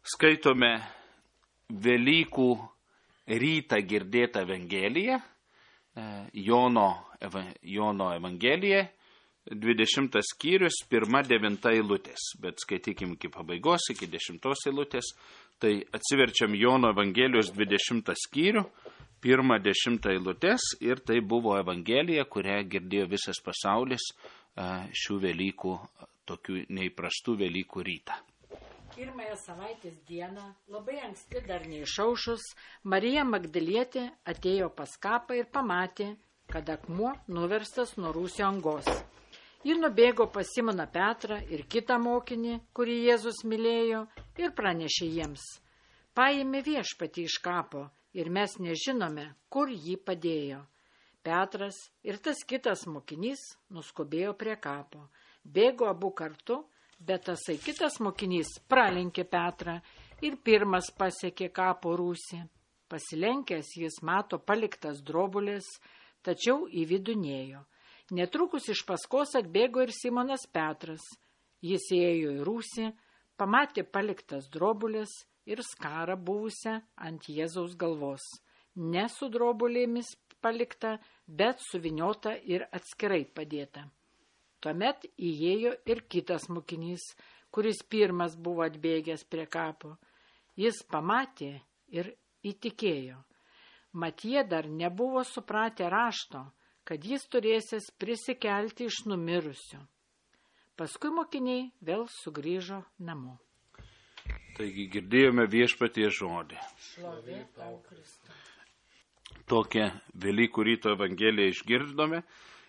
Skaitome Velykų rytą girdėtą Evangeliją, Jono Evangelija, 20 skyrius, 1-9 eilutės, bet skaitykim iki pabaigos, iki 10 eilutės, tai atsiverčiam Jono Evangelijos 20 skyrių, 1-10 eilutės ir tai buvo Evangelija, kurią girdėjo visas pasaulis šių Velykų, tokių neįprastų Velykų rytą. Pirmąją savaitės dieną, labai anksti dar neišaušus, Marija Magdalietė atėjo pas kapą ir pamatė, kad akmuo nuverstas nuo rūsio angos. Ji nubėgo pas Simoną Petrą ir kitą mokinį, kurį Jėzus mylėjo, ir pranešė jiems: paėmė viešpatį iš kapo ir mes nežinome, kur jį padėjo. Petras ir tas kitas mokinys nuskubėjo prie kapo. Bėgo abu kartu, bet tasai kitas mokinys pralenkė Petrą ir pirmas pasiekė kapo rūsį. Pasilenkęs jis mato paliktas drobulės, tačiau į vidų nėjo. Netrukus iš paskos atbėgo ir Simonas Petras. Jis įėjo į rūsį, pamatė paliktas drobulės ir skarą buvusią ant Jėzaus galvos. Ne su drobulėmis palikta, bet suviniota ir atskirai padėta. Tuomet įėjo ir kitas mokinys, kuris pirmas buvo atbėgęs prie kapo. Jis pamatė ir įtikėjo. Mat jie dar nebuvo supratę rašto, kad jis turėsis prisikelti iš numirusių. Paskui mokiniai vėl sugrįžo namo. Taigi girdėjome Viešpaties žodį. Šlovė tau, Kristau. Tokią Velykų ryto Evangeliją išgirdome.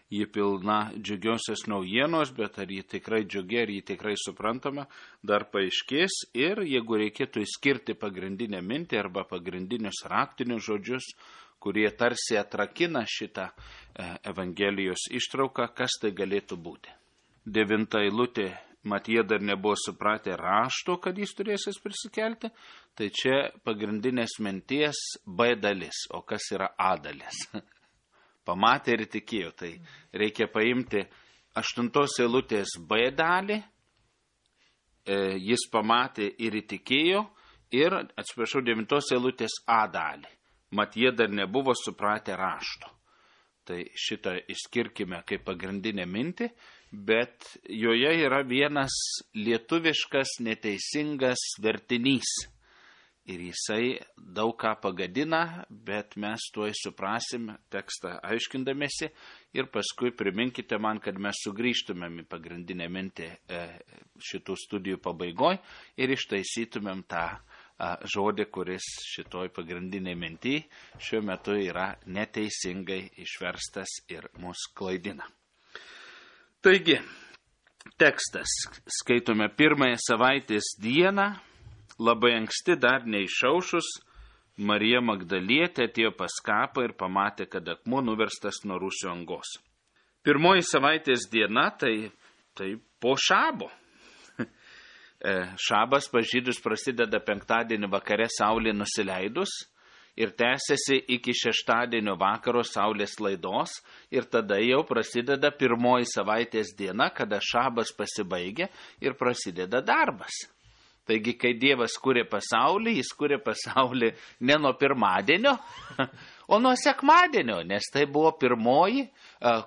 Ji pilna džiugiosios naujienos, bet ar ji tikrai džiugi, ar ji tikrai suprantama, dar paaiškės. Ir jeigu reikėtų išskirti pagrindinę mintį arba pagrindinius raktinius žodžius, kurie tarsi atrakina šitą Evangelijos ištrauką, kas tai galėtų būti. 9 eilutė, mat jie dar nebuvo supratę rašto, kad jis turėsis prisikelti, tai čia pagrindinės minties B dalis, o kas yra A dalis. Pamatė ir tikėjo, tai reikia paimti 8 eilutės B dalį, jis pamatė ir įtikėjo, ir, 9 eilutės A dalį, mat jie dar nebuvo supratę rašto. Tai šitą išskirkime kaip pagrindinę mintį, bet joje yra vienas lietuviškas neteisingas vertinys. Ir jisai daug ką pagadina, bet mes tuoj suprasim tekstą aiškindamėsi ir paskui priminkite man, kad mes sugrįžtumėm į pagrindinę mintį šitų studijų pabaigoj ir ištaisytumėm tą žodį, kuris šitoj pagrindinė mintį šiuo metu yra neteisingai išverstas ir mus klaidina. Taigi, tekstas skaitome pirmąją savaitės dieną. Labai anksti dar neišaušus, Marija Magdalietė atėjo pas kapą ir pamatė, kad akmuo nuverstas nuo rūsio angos. Pirmoji savaitės diena tai po šabo. Šabas pas žydus prasideda penktadienį vakare saulė nusileidus ir tęsiasi iki šeštadienio vakaro saulės laidos ir tada jau prasideda pirmoji savaitės diena, kada šabas pasibaigia ir prasideda darbas. Taigi, kai Dievas kūrė pasaulį, jis kūrė pasaulį ne nuo pirmadienio, o nuo sekmadienio, nes tai buvo pirmoji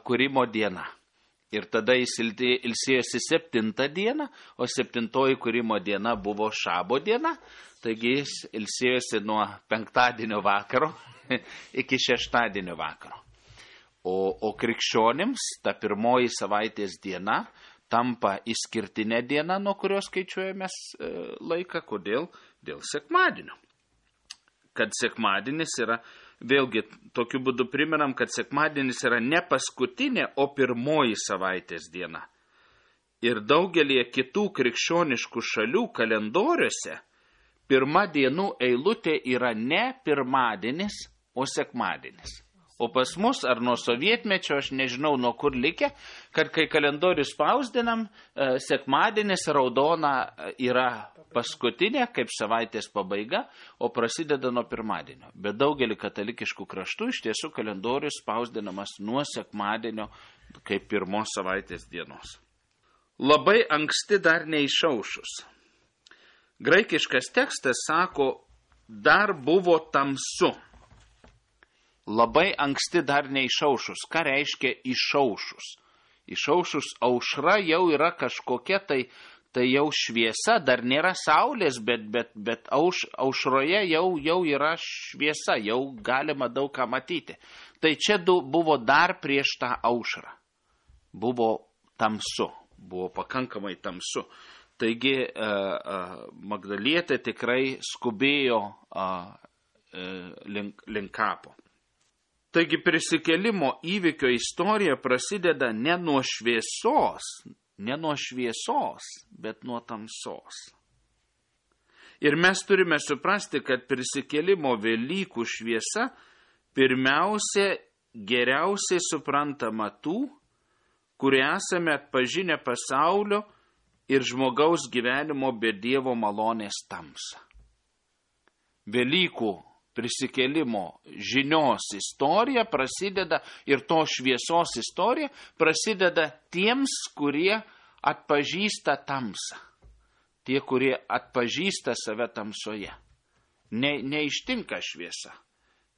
kūrimo diena. Ir tada jis ilsėjosi 7 dieną, o 7 kūrimo diena buvo šabo diena, taigi jis ilsėjosi nuo penktadienio vakaro iki šeštadienio vakaro. O krikščionims ta pirmoji savaitės diena tampa išskirtinė diena, nuo kurios skaičiuojamės laiką. Kodėl? Dėl sekmadienio. Kad sekmadienis yra, vėlgi tokiu būdu primenam, kad sekmadienis yra ne paskutinė, o pirmoji savaitės diena. Ir daugelie kitų krikščioniškų šalių kalendoriuose pirma dienų eilutė yra ne pirmadienis, o sekmadienis. O pas mus, ar nuo sovietmečio, aš nežinau nuo kur likę, kad kai kalendorių spausdinam, sekmadienis raudona yra paskutinė, kaip savaitės pabaiga, o prasideda nuo pirmadienio. Bet daugelį katalikiškų kraštų iš tiesų kalendorius spausdinamas nuo sekmadienio, kaip pirmos savaitės dienos. Labai anksti dar neišaušus. Graikiškas tekstas sako, dar buvo tamsu. Labai anksti dar neišaušus. Ką reiškia išaušus? Išaušus aušra jau yra kažkokia, tai jau šviesa, dar nėra saulės, bet aušroje jau yra šviesa, jau galima daug ką matyti. Tai čia buvo dar prieš tą aušrą. Buvo tamsu, buvo pakankamai tamsu. Taigi Magdalietė tikrai skubėjo link kapo. Taigi prisikėlimo įvykio istorija prasideda ne nuo šviesos, bet nuo tamsos. Ir mes turime suprasti, kad prisikėlimo Velykų šviesa pirmiausia geriausiai suprantama tų, kurie esame atpažinę pasaulio ir žmogaus gyvenimo be Dievo malonės tamsą. Velykų prisikėlimo žinios istorija prasideda ir to šviesos istorija prasideda tiems, kurie atpažįsta tamsą. Tie, kurie atpažįsta save tamsoje. Neištinka šviesa.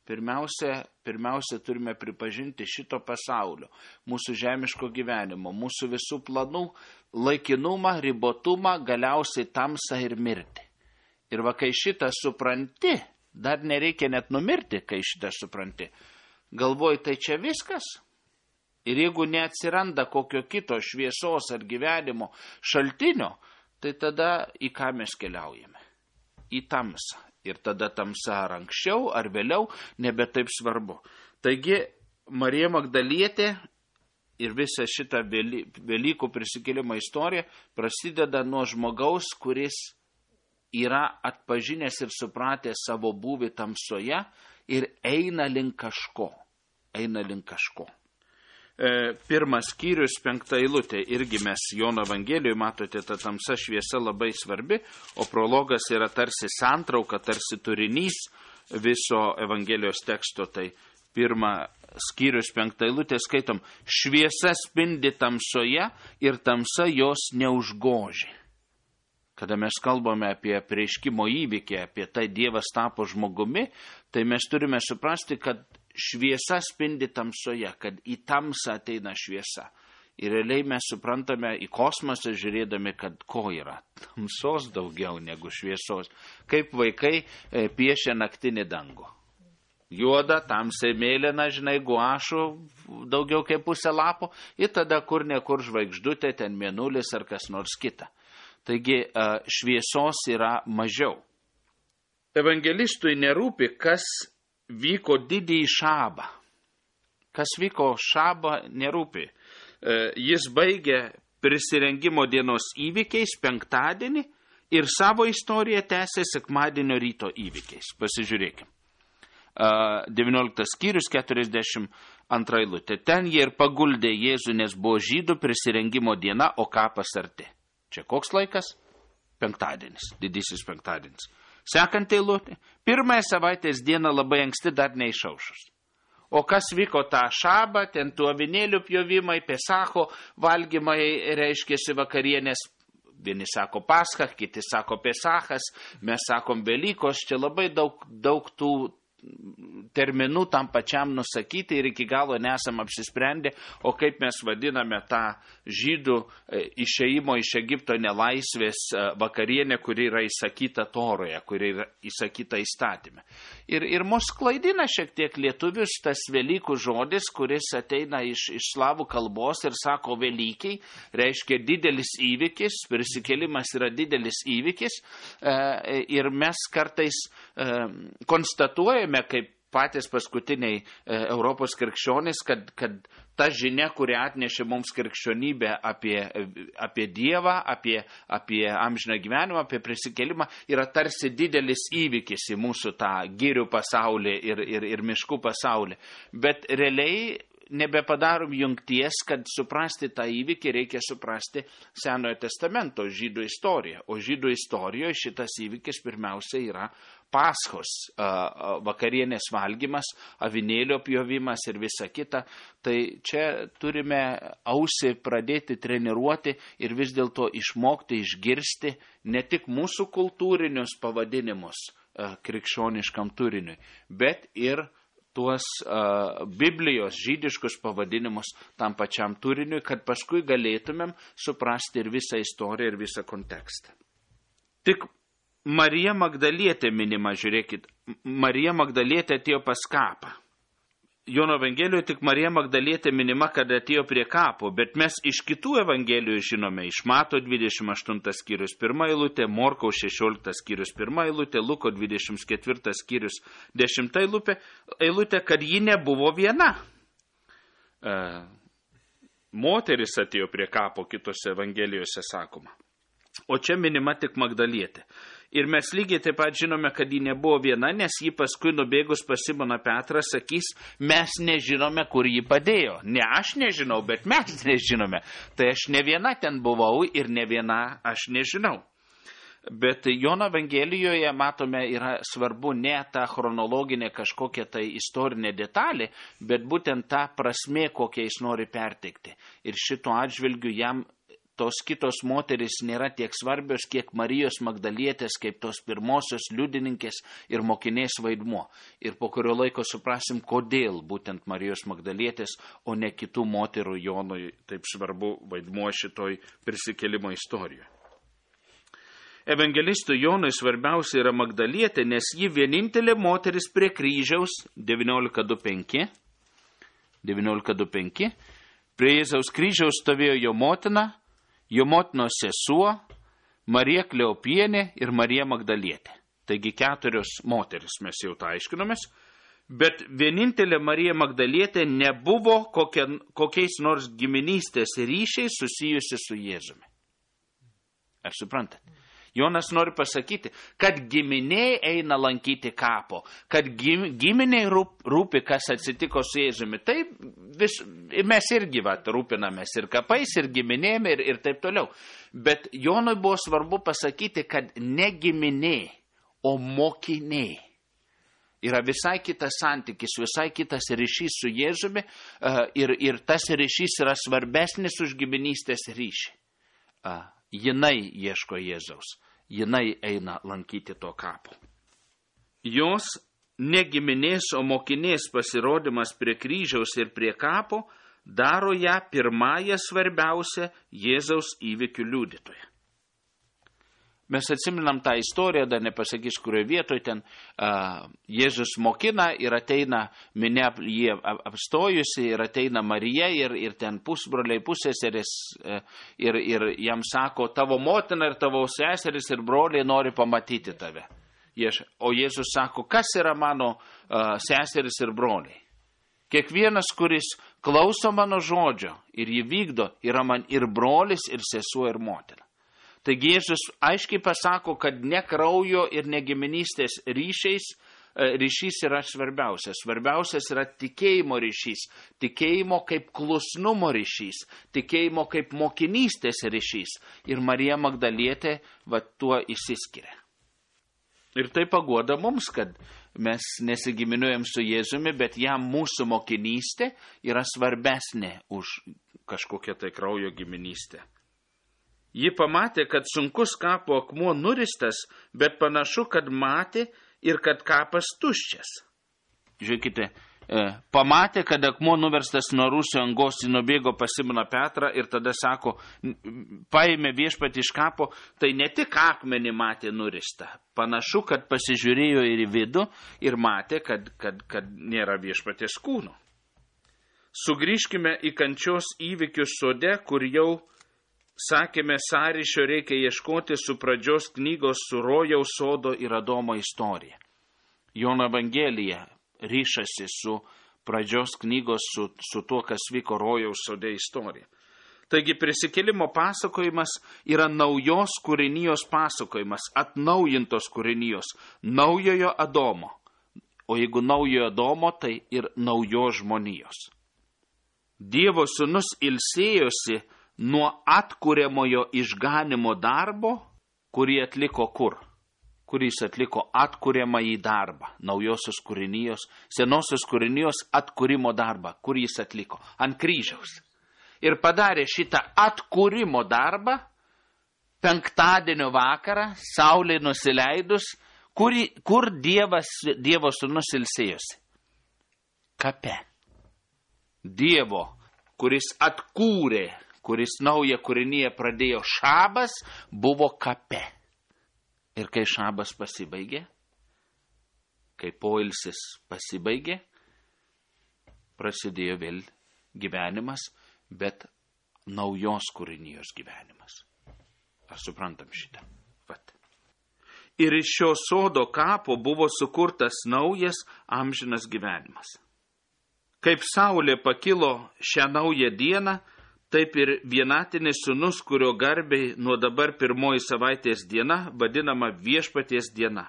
Pirmiausia turime pripažinti šito pasaulio, mūsų žemiško gyvenimo, mūsų visų planų laikinumą, ribotumą, galiausiai tamsą ir mirtį. Ir va, kai šitą supranti, dar nereikia net numirti, kai šitą supranti. Galvoji, tai čia viskas? Ir jeigu neatsiranda kokio kito šviesos ar gyvenimo šaltinio, tai tada į ką mes keliaujame? Į tamsą. Ir tada tamsa ar anksčiau, ar vėliau, nebe taip svarbu. Taigi, Marija Magdalietė ir visa šita Velykų prisikėlimo istorija prasideda nuo žmogaus, kuris yra atpažinęs ir supratęs savo būvį tamsoje ir eina link kažko. Pirmas skyrius, 5 eilutė, irgi mes Jono Evangelijoje, matote, ta tamsa šviesa labai svarbi, o prologas yra tarsi santrauka, tarsi turinys viso Evangelijos teksto. Tai pirmas skyrius, 5 eilutė, skaitom, šviesa spindi tamsoje ir tamsa jos neužgožė. Kada mes kalbame apie apreiškimo įvykį, apie tai Dievas tapo žmogumi, tai mes turime suprasti, kad šviesa spindi tamsoje, kad į tamsą ateina šviesa. Ir realiai mes suprantame į kosmosą žiūrėdami, kad ko yra? Tamsos daugiau negu šviesos. Kaip vaikai piešia naktinį dangų. Juoda, tamsiai mėlyna, žinai, guašų, daugiau kaip pusę lapo, ir tada kur nekur žvaigždutė, ten mėnulis ar kas nors kita. Taigi šviesos yra mažiau. Evangelistui nerūpi, kas vyko didįjį šabą. Kas vyko šabą, nerūpi. Jis baigė prisirengimo dienos įvykiais penktadienį ir savo istoriją tęsė sekmadienio ryto įvykiais. Pasižiūrėkim. 19 skyrius, 42 eilutė. Ten jie ir paguldė Jėzų, nes buvo žydų prisirengimo diena, o kapas arti. Čia koks laikas? Penktadienis, didysis penktadienis. Sekant eilutė. Pirmąją savaitės dieną labai anksti dar neišaušus. O kas vyko tą šabą, ten tų avinėlių pjovimai, Pesacho valgymai, reiškėsi vakarienės. Vieni sako Pascha, kiti sako Pesachas, mes sakom Velykos. Čia labai daug tų terminų tam pačiam nusakyti ir iki galo nesam apsisprendę, o kaip mes vadiname tą žydų išėjimo iš Egipto nelaisvės vakarienę, kuri yra įsakyta Toroje, kuri yra įsakyta įstatyme. Ir mus klaidina šiek tiek lietuvius tas Velykų žodis, kuris ateina iš slavų kalbos ir sako Velykiai, reiškia didelis įvykis, prisikėlimas yra didelis įvykis, ir mes kartais konstatuojame, kaip patys paskutiniai Europos krikščionys, kad ta žinia, kuri atnešė mums krikščionybę apie Dievą, apie amžiną gyvenimą, apie prisikėlimą, yra tarsi didelis įvykis į mūsų tą girių pasaulį ir miškų pasaulį. Bet realiai nebepadarom jungties, kad suprasti tą įvykį reikia suprasti Senojo testamento žydų istoriją. O žydų istorijoje šitas įvykis pirmiausia yra Paschos, vakarienės valgymas, avinėlio pjovimas ir visa kita. Tai čia turime ausį pradėti treniruoti ir vis dėlto išmokti išgirsti ne tik mūsų kultūrinius pavadinimus krikščioniškam turiniui, bet ir tuos Biblijos žydiškus pavadinimus tam pačiam turiniui, kad paskui galėtumėm suprasti ir visą istoriją, ir visą kontekstą. Tik Marija Magdalietė minima, žiūrėkit, Marija Magdalietė atėjo pas kapą. Jono Evangelijoje tik Marija Magdalietė minima, kad atėjo prie kapo, bet mes iš kitų Evangelijų žinome, iš Mato 28 skyrius 1 eilutė, Morkaus 16 skyrius 1 eilutė, Luko 24 skyrius 10 eilutė, kad ji nebuvo viena. Moteris atėjo prie kapo, kitose Evangelijose sakoma. O čia minima tik Magdalietė. Ir mes lygiai taip pat žinome, kad ji nebuvo viena, nes ji paskui nubėgus pas Simoną Petrą sakys, mes nežinome, kur ji padėjo. Ne aš nežinau, bet mes nežinome. Tai aš ne viena ten buvau ir ne viena aš nežinau. Bet Jono Evangelijoje, matome, yra svarbu ne ta chronologinė kažkokia tai istorinė detalė, bet būtent ta prasmė, kokią jis nori perteikti. Ir šito atžvilgiu jam tos kitos moterys nėra tiek svarbios, kiek Marijos Magdalietės, kaip tos pirmosios liudininkės ir mokinės vaidmuo. Ir po kurio laiko suprasim, kodėl būtent Marijos Magdalietės, o ne kitų moterų Jonui taip svarbu vaidmuo šitoj prisikėlimo istorijoje. Evangelistui Jonui svarbiausia yra Magdalietė, nes ji vienintelė moteris prie kryžiaus 19.2.5. Prie Jėzaus kryžiaus stovėjo jo motina, jo motinos sesuo, Marija Kleopienė ir Marija Magdalietė. Taigi 4 moteris, mes jau tą aiškinomės, bet vienintelė Marija Magdalietė nebuvo kokiais nors giminystės ryšiais susijusi su Jėzumi. Ar suprantate? Jonas nori pasakyti, kad giminiai eina lankyti kapo, kad giminiai rūpi, kas atsitiko su Jėzumi. Tai mes irgi rūpinamės ir kapais, ir giminėm, ir taip toliau. Bet Jonui buvo svarbu pasakyti, kad ne giminiai, o mokiniai. Yra visai kitas santykis, visai kitas ryšys su Jėzumi ir tas ryšys yra svarbesnis už giminystės ryšį. Jinai ieško Jėzaus, jinai eina lankyti to kapo. Jos ne giminės, o mokinės pasirodymas prie kryžiaus ir prie kapo daro ją pirmąją svarbiausią Jėzaus įvykių liudytoją. Mes atsiminam tą istoriją, dar nepasakys, kurioje vietoje ten Jėzus mokina ir ateina minia jie apstojusi ir ateina Marija ir ten pusbroliai, pusseserės ir jam sako, tavo motina ir tavo seseris ir broliai nori pamatyti tave. O Jėzus sako, kas yra mano seseris ir broliai? Kiekvienas, kuris klauso mano žodžio ir jį vykdo, yra man ir brolis, ir sesuo, ir motina. Taigi Jėzus aiškiai pasako, kad ne kraujo ir ne giminystės ryšys yra svarbiausias. Svarbiausias yra tikėjimo ryšys, tikėjimo kaip klusnumo ryšys, tikėjimo kaip mokinystės ryšys. Ir Marija Magdalietė tuo išsiskiria. Ir tai paguoda mums, kad mes nesigiminuojam su Jėzumi, bet jam mūsų mokinystė yra svarbesnė už kažkokią tai kraujo giminystę. Ji pamatė, kad sunkus kapo akmuo nuristas, bet panašu, kad matė ir kad kapas tuščias. Žiūrėkite, pamatė, kad akmuo nuverstas nuo Rūsio angos, jis nubėgo pas Simoną Petrą ir tada sako, paėmė viešpatį iš kapo, tai ne tik akmenį matė nuristą. Panašu, kad pasižiūrėjo ir į vidų ir matė, kad nėra viešpaties kūno. Sugrįžkime į kančios įvykius sode, kur jau sakėme, sąryšio reikia ieškoti su pradžios knygos, su Rojaus sodo ir Adomo istorija. Jono Evangelija ryšasi su pradžios knygos, su tuo, kas vyko Rojaus sode istorija. Taigi prisikėlimo pasakojimas yra naujos kūrinijos pasakojimas, atnaujintos kūrinijos, naujojo Adomo. O jeigu naujojo Adomo, tai ir naujos žmonijos. Dievo sūnus ilsėjosi nuo atkuriamojo išganimo darbo, kurį atliko kur? Kuris atliko atkuriamąjį darbą, naujosios kūrinijos, senosios kūrinijos atkūrimo darbą, kurį jis atliko ant kryžiaus. Ir padarė šitą atkūrimo darbą penktadienio vakarą, saulei nusileidus, kur Dievo sūnus ilsėjosi. Kape. Dievo, kuris atkūrė, kuris naują kūrinyje pradėjo šabas, buvo kape. Ir kai šabas pasibaigė, kai poilsis pasibaigė, prasidėjo vėl gyvenimas, bet naujos kūrinijos gyvenimas. Ar suprantam šitą? Vat. Ir iš šio sodo kapo buvo sukurtas naujas amžinas gyvenimas. Kaip saulė pakilo šią naują dieną, taip ir vienatinis sūnus, kurio garbei nuo dabar pirmoji savaitės diena vadinama viešpaties diena.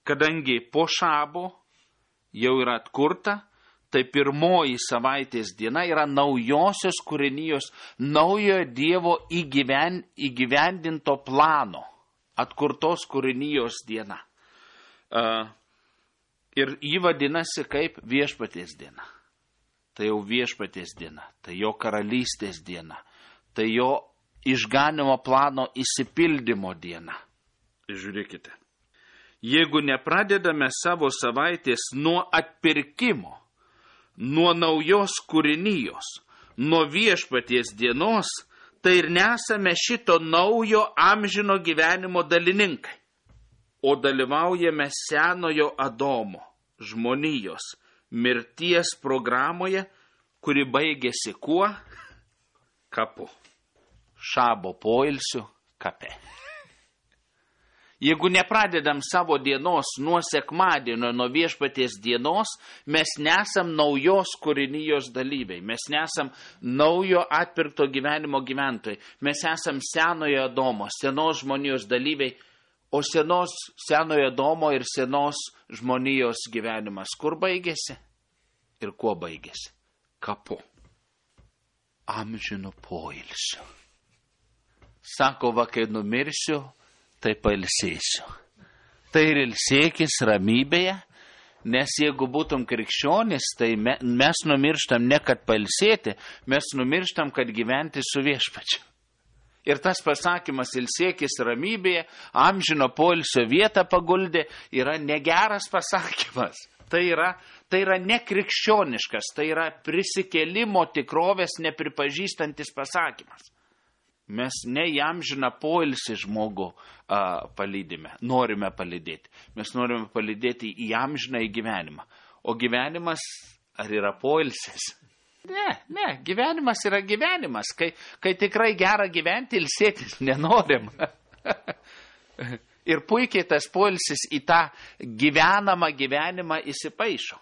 Kadangi po šabo jau yra atkurta, tai pirmoji savaitės diena yra naujosios kūrinijos, naujojo Dievo įgyvendinto plano, atkurtos kūrinijos diena. Ir jį vadinasi kaip viešpaties diena. Tai jau viešpaties diena, tai jo karalystės diena, tai jo išganimo plano įsipildymo diena. Žiūrėkite, jeigu nepradedame savo savaitės nuo atpirkimo, nuo naujos kūrinijos, nuo viešpaties dienos, tai ir nesame šito naujo amžino gyvenimo dalininkai, o dalyvaujame senojo Adomo, žmonijos, mirties programoje, kuri baigėsi kuo? Kapu. Šabo poilsiu kape. Jeigu nepradedam savo dienos nuo sekmadienio, nuo viešpaties dienos, mes nesam naujos kūrinijos dalyviai, mes nesam naujo atpirkto gyvenimo gyventojai, mes esam senojo Adomo, senos žmonijos dalyviai, o senojo Adomo ir senos žmonijos gyvenimas kur baigėsi ir kuo baigėsi? Kapu. Amžinu poilsiu. Sako, va, kai numirsiu, tai pailsėsiu. Tai ir ilsėkis ramybėje, nes jeigu būtum krikščionis, tai mes numirštam ne kad pailsėti, mes numirštam, kad gyventi su viešpačiu. Ir tas pasakymas ilsėkis ramybėje, amžino poilsio vietą paguldė, yra negeras pasakymas. Tai yra nekrikščioniškas, tai yra prisikėlimo tikrovės nepripažįstantis pasakymas. Mes ne į amžiną poilsį žmogų palydime, norime palydėti. Mes norime palydėti į amžiną į gyvenimą. O gyvenimas, ar yra poilsis? Ne, gyvenimas yra gyvenimas. Kai tikrai gera gyventi, ilsėtis nenorim. Ir puikiai tas poilsis į tą gyvenamą gyvenimą įsipaišo.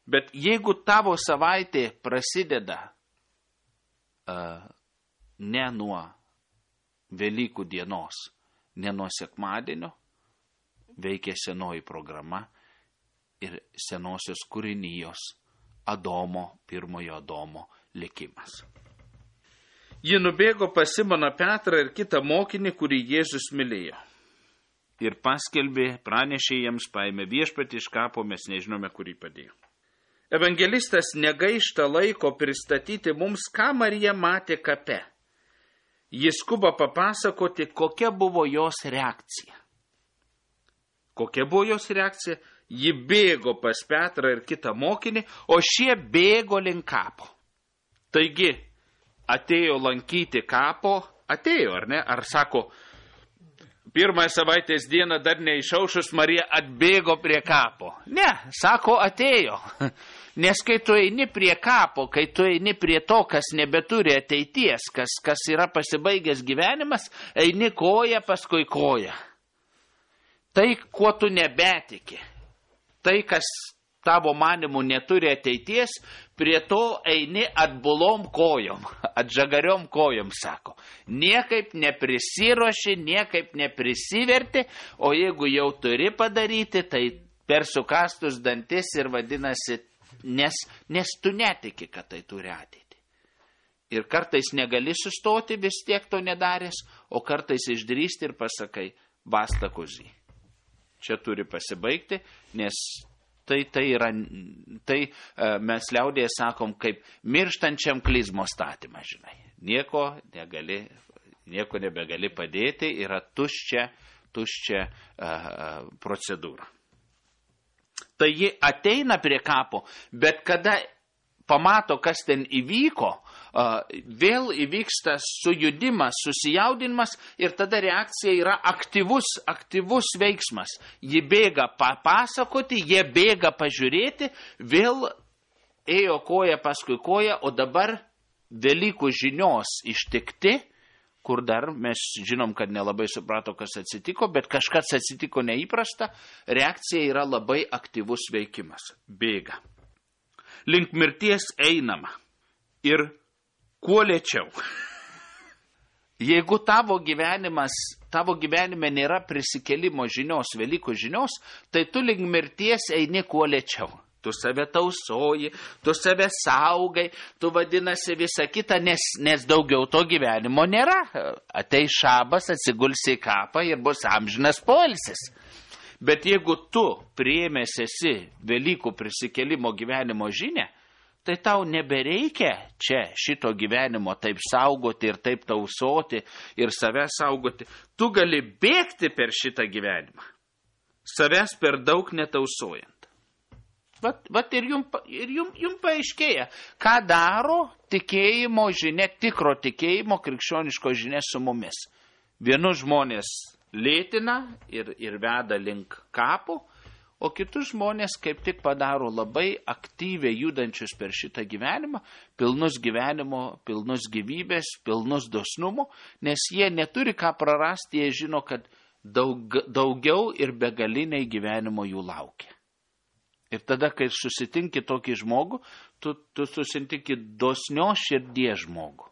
Bet jeigu tavo savaitė prasideda ne nuo Velykų dienos, ne nuo sekmadienio, veikia senoji programa ir senosios kūrinijos Adomo, pirmojo Adomo likimas. Ji nubėgo pas Simoną Petrą ir kitą mokinį, kurį Jėzus mylėjo. Ir paskelbė, pranešė jiems, paėmė viešpatį iš kapo, mes nežinome, kurį padėjo. Evangelistas negaišta laiko pristatyti mums, ką Marija matė kape. Jis skuba papasakoti, kokia buvo jos reakcija. Kokia buvo jos reakcija? Ji bėgo pas Petrą ir kitą mokinį, o šie bėgo link kapo. Taigi, atėjo lankyti kapo, atėjo, ar ne? Ar sako, pirmąją savaitės dieną dar neišaušus Marija atbėgo prie kapo. Ne, sako, atėjo. Nes kai tu eini prie kapo, kai tu eini prie to, kas nebeturi ateities, kas yra pasibaigęs gyvenimas, eini koja paskui koja. Tai, kuo tu nebetiki, tai, kas tavo manimų neturi ateities, prie to eini atbulom kojom, atžagariom kojom, sako. Niekaip neprisiruoši, niekaip neprisiverti, o jeigu jau turi padaryti, tai per sukastus dantis ir vadinasi nes tu netiki, kad tai turi ateitį. Ir kartais negali sustoti vis tiek to nedaręs, o kartais išdrįsti ir pasakai, basta kozį. Čia turi pasibaigti, nes tai mes liaudėje sakom, kaip mirštančiam klizmo statymą, žinai. Nieko nebegali padėti, yra tuščia procedūra. Tai ji ateina prie kapo, bet kada pamato, kas ten įvyko, vėl įvyksta sujudimas, susijaudinimas ir tada reakcija yra aktyvus veiksmas. Ji bėga papasakoti, jie bėga pažiūrėti, vėl ėjo koja paskui koja, o dabar Velykų žinios ištikti, kur dar mes žinom, kad nelabai suprato, kas atsitiko, bet kažkas atsitiko neįprasta, reakcija yra labai aktyvus veikimas. Bėga. Link mirties einama. Ir kuo lėčiau. Jeigu tavo gyvenime nėra prisikėlimo žinios, Velykų žinios, tai tu link mirties eini kuo lėčiau. Tu save tausoji, tu save saugai, tu vadinasi visą kitą, nes daugiau to gyvenimo nėra. Ateis šabas, atsigulsi į kapą ir bus amžinas poilsis. Bet jeigu tu priėmęs esi Velykų prisikėlimo gyvenimo žinią, tai tau nebereikia čia šito gyvenimo taip saugoti ir taip tausoti ir save saugoti. Tu gali bėgti per šitą gyvenimą, savęs per daug netausojant. Vat ir jum paaiškėja, ką daro tikėjimo žinia, tikro tikėjimo krikščioniško žinia su mumis. Vienus žmonės lėtina ir veda link kapų, o kitus žmonės kaip tik padaro labai aktyviai judančius per šitą gyvenimą, pilnus gyvenimo, pilnus gyvybės, pilnus dosnumo, nes jie neturi ką prarasti, jie žino, kad daugiau ir begaliniai gyvenimo jų laukia. Ir tada, kai susitinki tokį žmogų, tu susitinki dosnios širdies žmogų.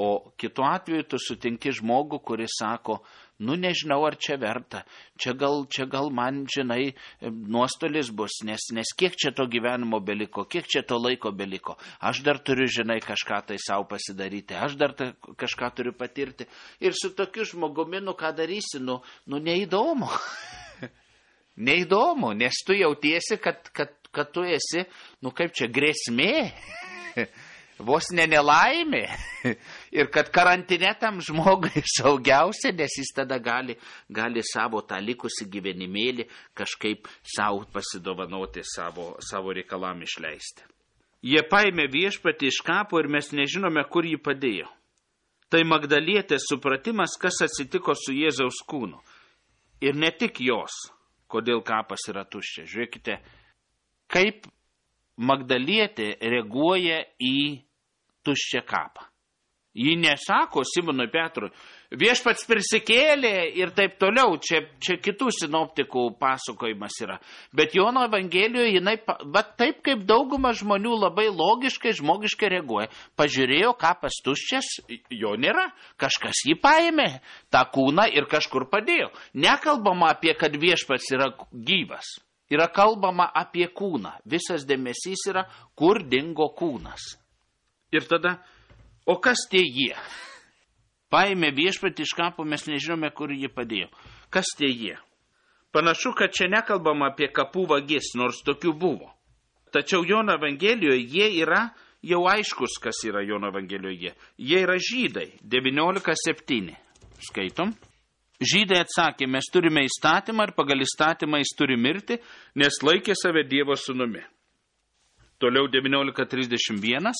O kitu atveju tu sutinki žmogų, kuris sako, nežinau, ar čia verta, čia gal man, žinai, nuostolis bus, nes kiek čia to gyvenimo beliko, kiek čia to laiko beliko. Aš dar turiu, žinai, kažką tai savo pasidaryti, aš dar kažką turiu patirti. Ir su tokiu žmogumi, ką darysi, neįdomu. Neįdomu, nes tu jautiesi, kad tu esi, kaip čia, grėsmė, vos nelaimė. Ir kad karantine tam žmogui saugiausia, nes jis tada gali savo tą likusį gyvenimėlį kažkaip savo pasidovanoti, savo reikalam išleisti. Jie paėmė Viešpatį iš kapo ir mes nežinome, kur jį padėjo. Tai Magdalietės supratimas, kas atsitiko su Jėzaus kūnu. Ir ne tik jos. Kodėl kapas yra tuščias. Žiūrėkite, kaip Magdalietė reaguoja į tuščią kapą. Ji nesako Simonui Petrui, Viešpats prisikėlė ir taip toliau, čia kitų sinoptikų pasakojimas yra. Bet Jono Evangelijoje jinai, taip kaip dauguma žmonių labai logiškai, žmogiškai reaguoja. Pažiūrėjo, kapas tuščias, jo nėra. Kažkas jį paėmė, tą kūną ir kažkur padėjo. Nekalbama apie, kad Viešpats yra gyvas. Yra kalbama apie kūną. Visas dėmesys yra, kur dingo kūnas. Ir tada, o kas tie jie? Paėmė Viešpatį iš kapo, mes nežinome, kur jį padėjo. Kas tie jie? Panašu, kad čia nekalbama apie kapų vagis, nors tokių buvo. Tačiau Jono Evangelijoje jie yra jau aiškus, kas yra Jono Evangelijoje. Jie yra žydai, 19:7. Skaitom. Žydai atsakė, mes turime įstatymą ir pagal įstatymą jis turi mirti, nes laikė save Dievo sūnumi. Toliau 19:31.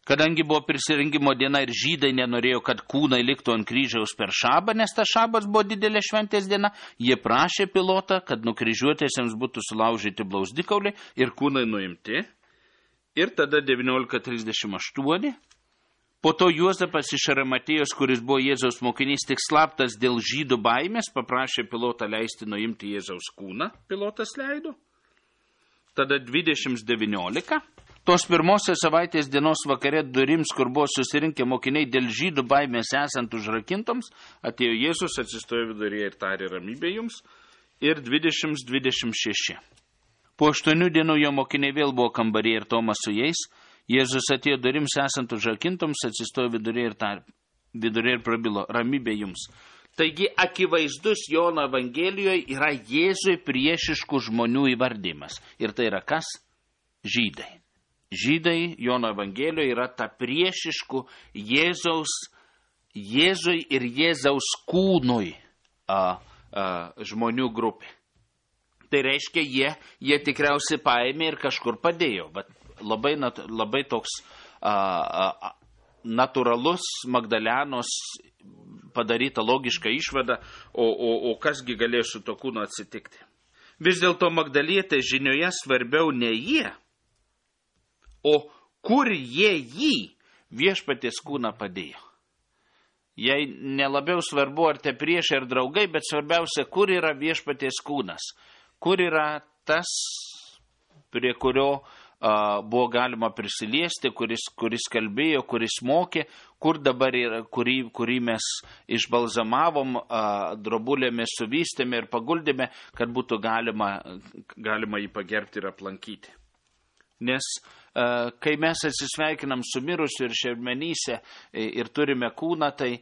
Kadangi buvo prisirinkimo diena ir žydai nenorėjo, kad kūnai liktų ant kryžiaus per šabą, nes ta šabas buvo didelė šventės diena, jie prašė Pilotą, kad nukryžiuotėsiams būtų sulaužyti blauzdikauliai ir kūnai nuimti. Ir tada 19:38. Po to Juozapas iš Arimatėjos, kuris buvo Jėzaus mokinys, tik slaptas dėl žydų baimės, paprašė Pilotą leisti nuimti Jėzaus kūną. Pilotas leido. Tada 20:19. Tos pirmosios savaitės dienos vakare durims, kur buvo susirinkę mokiniai dėl žydų baimės esant užrakintoms, atėjo Jėzus, atsistojo viduryje ir tarė ramybė jums. Ir 20:26. Po 8 dienų jo mokiniai vėl buvo kambaryje ir Tomas su jais. Jėzus atėjo durims esant užrakintoms, atsistojo vidurė ir prabilo, ramybė jums. Taigi akivaizdus Jono Evangelijoje yra Jėzui priešiškų žmonių įvardymas. Ir tai yra kas? Žydai. Žydai Jono Evangelijoje yra ta priešiškų Jėzui ir Jėzaus kūnui žmonių grupė. Tai reiškia, jie tikriausiai paėmė ir kažkur padėjo, bet labai toks natūralus Magdalenos padaryta logiška išvada, o kasgi galėjo su to kūnu atsitikti. Vis dėlto Magdalietė žinioje svarbiau ne jie, o kur jie jį viešpaties kūną padėjo. Jei nelabiau svarbu, ar te priešai ar draugai, bet svarbiausia, kur yra viešpaties kūnas, kur yra tas, prie kurio buvo galima prisiliesti, kuris kalbėjo, kuris mokė, kur dabar yra, kurį mes išbalzamavom, drobulėmis suvystėme ir paguldėme, kad būtų galima jį pagerbti ir aplankyti. Nes kai mes atsisveikinam su mirusiu ir šermenyse ir turime kūną, tai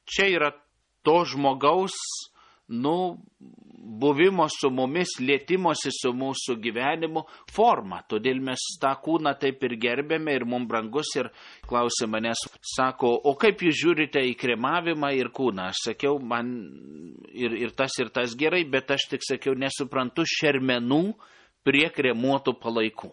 čia yra to žmogaus buvimo su mumis, lietimosi su mūsų gyvenimu forma. Todėl mes tą kūną taip ir gerbėme ir mums brangus ir klausė manęs, sako, o kaip jūs žiūrite į kremavimą ir kūną? Aš sakiau, man ir tas gerai, bet aš tik sakiau, nesuprantu šermenų prie kremuotų palaikų.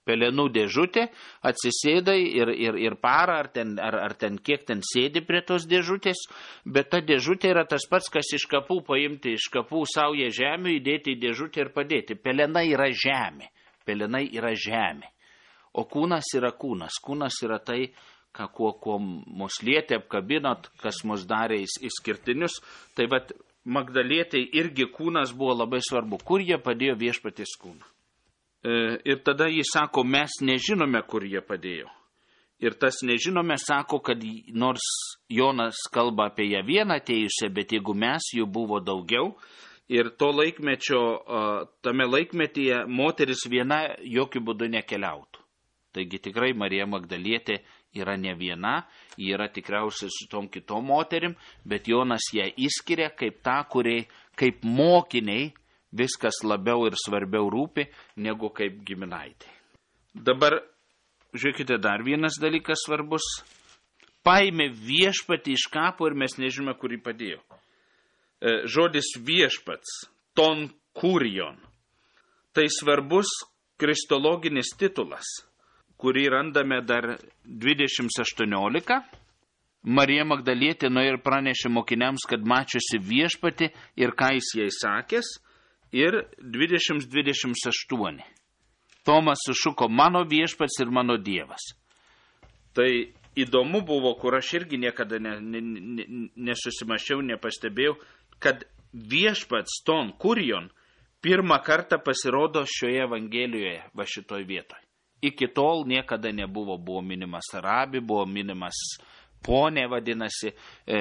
Pelenų dėžutė, atsisėdai ir parą, ar ten kiek ten sėdi prie tos dėžutės, bet ta dėžutė yra tas pats, kas iš kapų paimti, iš kapų saują žemių, įdėti į dėžutę ir padėti. Pelenai yra žemė, o kūnas yra kūnas. Kūnas yra tai, kuo mus lietė, apkabinot, kas mus darė išskirtinius. Tai vat Magdalietei irgi kūnas buvo labai svarbu. Kur jie padėjo viešpaties kūną? Ir tada jis sako, mes nežinome, kur jie padėjo. Ir tas nežinome sako, kad nors Jonas kalba apie ją vieną atėjusią, bet jeigu mes, jų buvo daugiau. Ir to laikmečio, tame laikmetyje moteris viena jokių būdų nekeliautų. Taigi tikrai Marija Magdalietė yra ne viena, ji yra tikriausiai su tom kitom moterim, bet Jonas ją įskiria kaip tą, kuriai kaip mokiniai viskas labiau ir svarbiau rūpi, negu kaip giminaitė. Dabar, žiūrėkite, dar vienas dalykas svarbus. Paėmė viešpatį iš kapo ir mes nežinome, kur jį padėjo. Žodis viešpats, ton kurion. Tai svarbus kristologinis titulas, kurį randame dar 20:18. Marija Magdalietė nuėjo ir pranešė mokiniams, kad mačiusi viešpatį ir ką jis jai sakęs. Ir 20:28. Tomas sušuko, mano viešpats ir mano dievas. Tai įdomu buvo, kur aš irgi niekada nesusimašiau, nepastebėjau, kad viešpats ton kurion pirmą kartą pasirodo šioje Evangelijoje, va šitoj vietoj. Iki tol niekada nebuvo, buvo minimas rabi, buvo minimas ponė, vadinasi,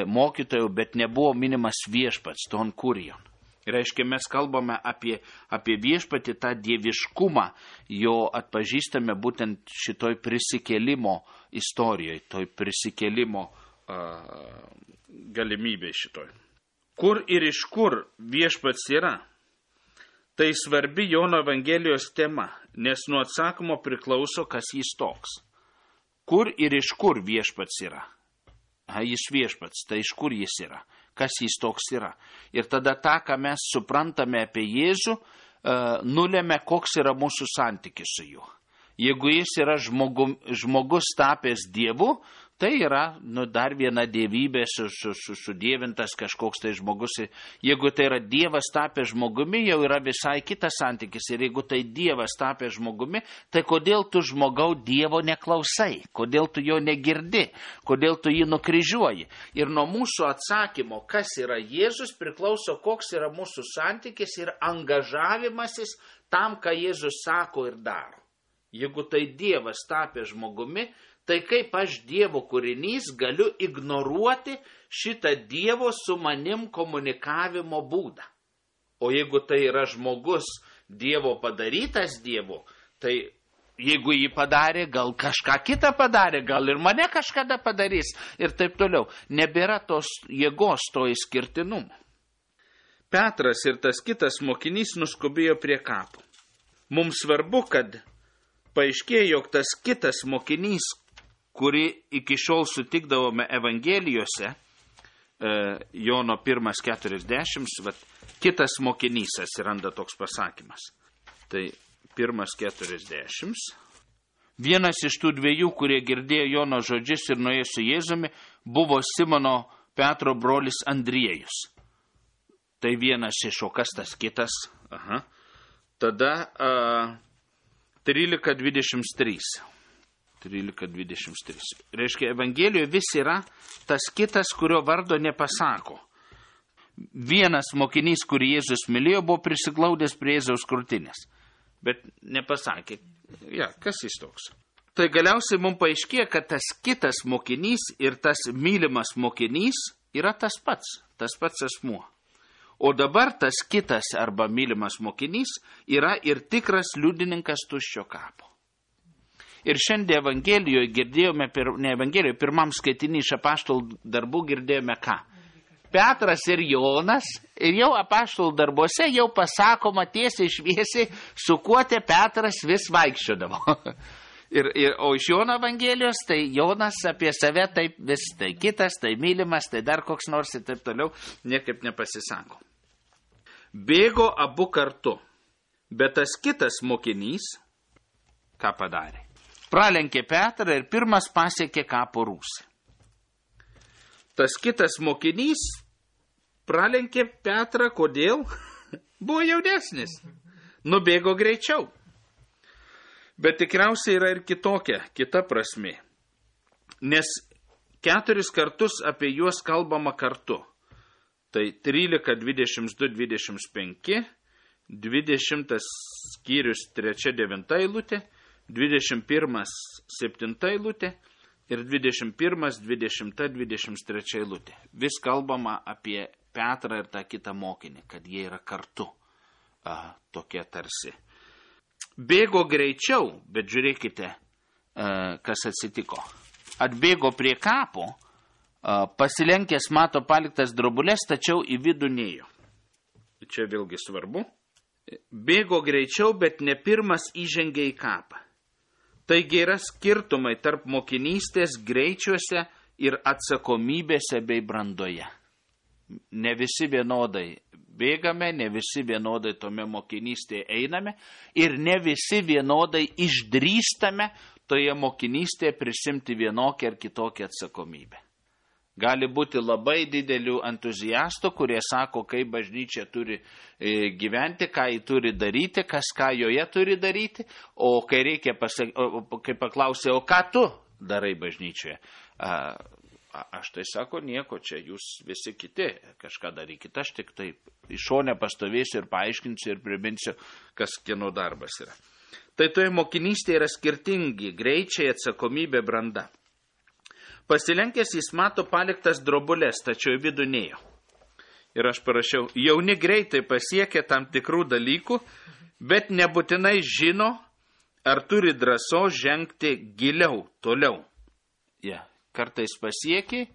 mokytojų, bet nebuvo minimas viešpats, ton kurion. Reiškia, mes kalbame apie viešpatį, tą dieviškumą, jo atpažįstame būtent šitoj prisikėlimo istorijoje, toj prisikėlimo galimybė šitoj. Kur ir iš kur viešpats yra? Tai svarbi Jono Evangelijos tema, nes nuo atsakymo priklauso, kas jis toks. Kur ir iš kur viešpats yra? Jis viešpats, tai iš kur jis yra? Kas jis toks yra? Ir tada tą, ką mes suprantame apie Jėzų, nulėmė, koks yra mūsų santykis su juo. Jeigu jis yra žmogus tapęs Dievu, tai yra dar viena dievybė, sudievintas kažkoks tai žmogus. Jeigu tai yra Dievas tapęs žmogumi, jau yra visai kitas santykis. Ir jeigu tai Dievas tapęs žmogumi, tai kodėl tu žmogau Dievo neklausai? Kodėl tu jo negirdi? Kodėl tu jį nukryžiuoji? Ir nuo mūsų atsakymo, kas yra Jėzus, priklauso, koks yra mūsų santykis ir angažavimasis tam, ką Jėzus sako ir daro. Jeigu tai Dievas tapęs žmogumi, tai kaip aš Dievo kūrinys galiu ignoruoti šitą Dievo su manim komunikavimo būdą. O jeigu tai yra žmogus Dievo padarytas Dievo, tai jeigu jį padarė, gal kažką kitą padarė, gal ir mane kažkada padarys ir taip toliau. Nebėra tos jėgos, to išskirtinumo. Petras ir tas kitas mokinys nuskubėjo prie kapo. Mums svarbu, kad paaiškėjo, jog tas kitas mokinys, kurį iki šiol sutikdavome Evangelijose, Jono 1:40, kitas mokinys atsiranda toks pasakymas. Tai 1:40. Vienas iš tų dviejų, kurie girdėjo Jono žodžius ir nuėjo su Jėzumi, buvo Simono Petro brolis Andriejus. Tai vienas iš, o kas tas kitas? Tada 13:23. 13:23. Reiškia, Evangelijoje vis yra tas kitas, kurio vardo nepasako. Vienas mokinys, kurį Jėzus mylėjo, buvo prisiglaudęs prie Jėzaus krūtinės. Bet nepasakė, kas jis toks. Tai galiausiai mums paaiškėjo, kad tas kitas mokinys ir tas mylimas mokinys yra tas pats asmuo. O dabar tas kitas arba mylimas mokinys yra ir tikras liudininkas tuščio kapo. Ir šiandien Evangelijoje girdėjome, pirmam skaitinį iš apaštalų darbų girdėjome ką? Petras ir Jonas, ir jau apaštalų darbuose jau pasakoma tiesiai šviesiai, su kuo te Petras vis vaikščiodavo. O iš Jono Evangelijos, tai Jonas apie save taip vis, tai kitas, tai mylimas, tai dar koks nors ir taip toliau, niekaip nepasisako. Bėgo abu kartu, bet tas kitas mokinys, ką padarė? Pralenkė Petrą ir pirmas pasiekė kapo rūsį. Tas kitas mokinys pralenkė Petrą, kodėl? Buvo jaunesnis. Nubėgo greičiau. Bet tikriausiai yra ir kita prasmė. Nes 4 kartus apie juos kalbama kartu. Tai 13, 22, 25, 20 skyrius 3-9 eilutė, 21, 7 eilutė ir 21, 20, 23 eilutė. Vis kalbama apie Petrą ir tą kitą mokinį, kad jie yra kartu, tokie tarsi. Bėgo greičiau, bet žiūrėkite, kas atsitiko. Atbėgo prie kapo, pasilenkęs mato paliktas drobulės, tačiau į vidų nėjo. Čia vėlgi svarbu. Bėgo greičiau, bet ne pirmas įžengė į kapą. Taigi yra skirtumai tarp mokinystės greičiuose ir atsakomybėse bei brandoje. Ne visi vienodai bėgame, ne visi vienodai tome mokinystėje einame ir ne visi vienodai išdrįstame toje mokinystėje prisimti vienokią ar kitokią atsakomybę. Gali būti labai didelių entuziastų, kurie sako, kaip bažnyčia turi gyventi, ką jį turi daryti, kas ką joje turi daryti, o kai reikia kai paklausė, o ką tu darai bažnyčioje? Aš tai sako, nieko, čia jūs visi kiti kažką darykite, aš tik taip iš šone pastovėsiu ir paaiškinsiu ir priminsiu, kas kieno darbas yra. Tai toje mokinystėje yra skirtingi greičiai, atsakomybė, branda. Pasilenkęs jis mato paliktas drobulės, tačiau į vidų nėjo. Ir aš parašiau, jauni greitai pasiekia tam tikrų dalykų, bet nebūtinai žino, ar turi drąsos žengti giliau, toliau. Kartais pasiekia,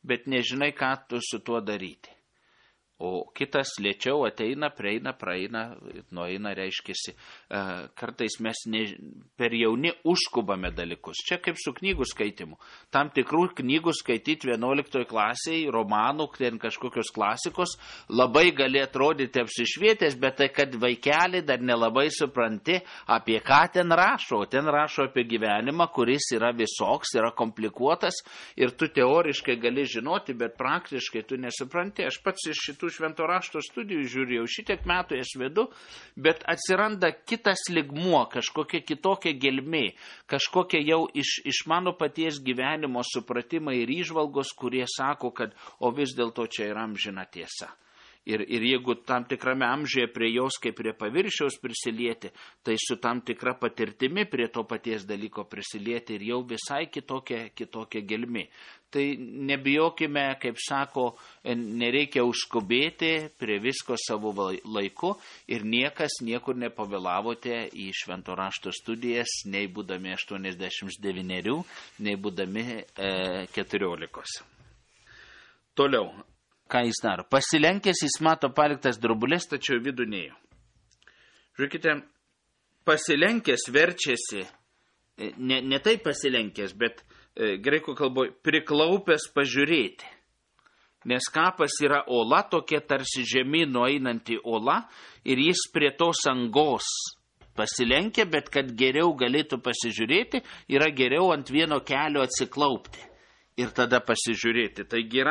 bet nežinai, ką tu su tuo daryti. O kitas lėčiau ateina, prieina, praeina, nueina, reiškiasi. Kartais mes per jauni užskubame dalykus. Čia kaip su knygų skaitimu. Tam tikrų knygų skaityti 11 klasėje, romanų, ten kažkokios klasikos, labai gali atrodyti apsišvietęs, bet tai, kad vaikelį dar nelabai supranti, apie ką ten rašo. O ten rašo apie gyvenimą, kuris yra visoks, yra komplikuotas ir tu teoriškai gali žinoti, bet praktiškai tu nesupranti. Aš pats iš šitų švento rašto studijų žiūrėjau, šitiek metų jas vedu, bet atsiranda kitas ligmuo, kažkokia kitokia gelmė, kažkokia jau iš mano paties gyvenimo supratimai ir įžvalgos, kurie sako, kad o vis dėlto čia yra amžina tiesa. Ir jeigu tam tikrame amžiuje prie jos kaip prie paviršiaus prisilieti, tai su tam tikra patirtimi prie to paties dalyko prisilieti ir jau visai kitokia gelmė. Tai nebijokime, kaip sako, nereikia užskubėti prie visko savo laiku ir niekas niekur nepavėlavote į švento rašto studijas, nei būdami 89, nei būdami 14. Toliau. Ką jis daro? Pasilenkęs jis mato paliktas drobulės, tačiau vidų nėjo. Žiūrėkite, pasilenkęs verčiasi, ne taip pasilenkęs, bet graikų kalboje priklaupęs pažiūrėti. Nes kapas yra ola, tokia tarsi žemyn nueinanti ola, ir jis prie tos angos pasilenkia, bet kad geriau galėtų pasižiūrėti, yra geriau ant vieno kelio atsiklaupti ir tada pasižiūrėti. Taigi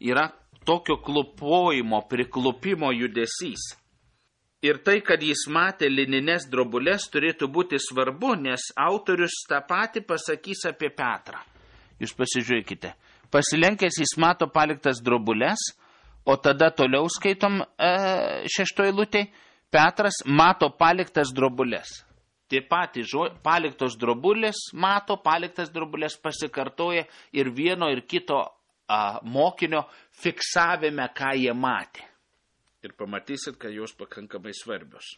yra tokio klupojimo, priklupimo judesys. Ir tai, kad jis matė linines drobulės, turėtų būti svarbu, nes autorius tą patį pasakys apie Petrą. Jūs pasižiūrėkite. Pasilenkęs jis mato paliktas drobulės, o tada toliau skaitom 6 eilutėj, Petras mato paliktas drobulės. Tie patys paliktos drobulės mato, paliktas drobulės pasikartoja ir vieno ir kito mokinio fiksavime, ką jie matė. Ir pamatysit, kad jos pakankamai svarbios.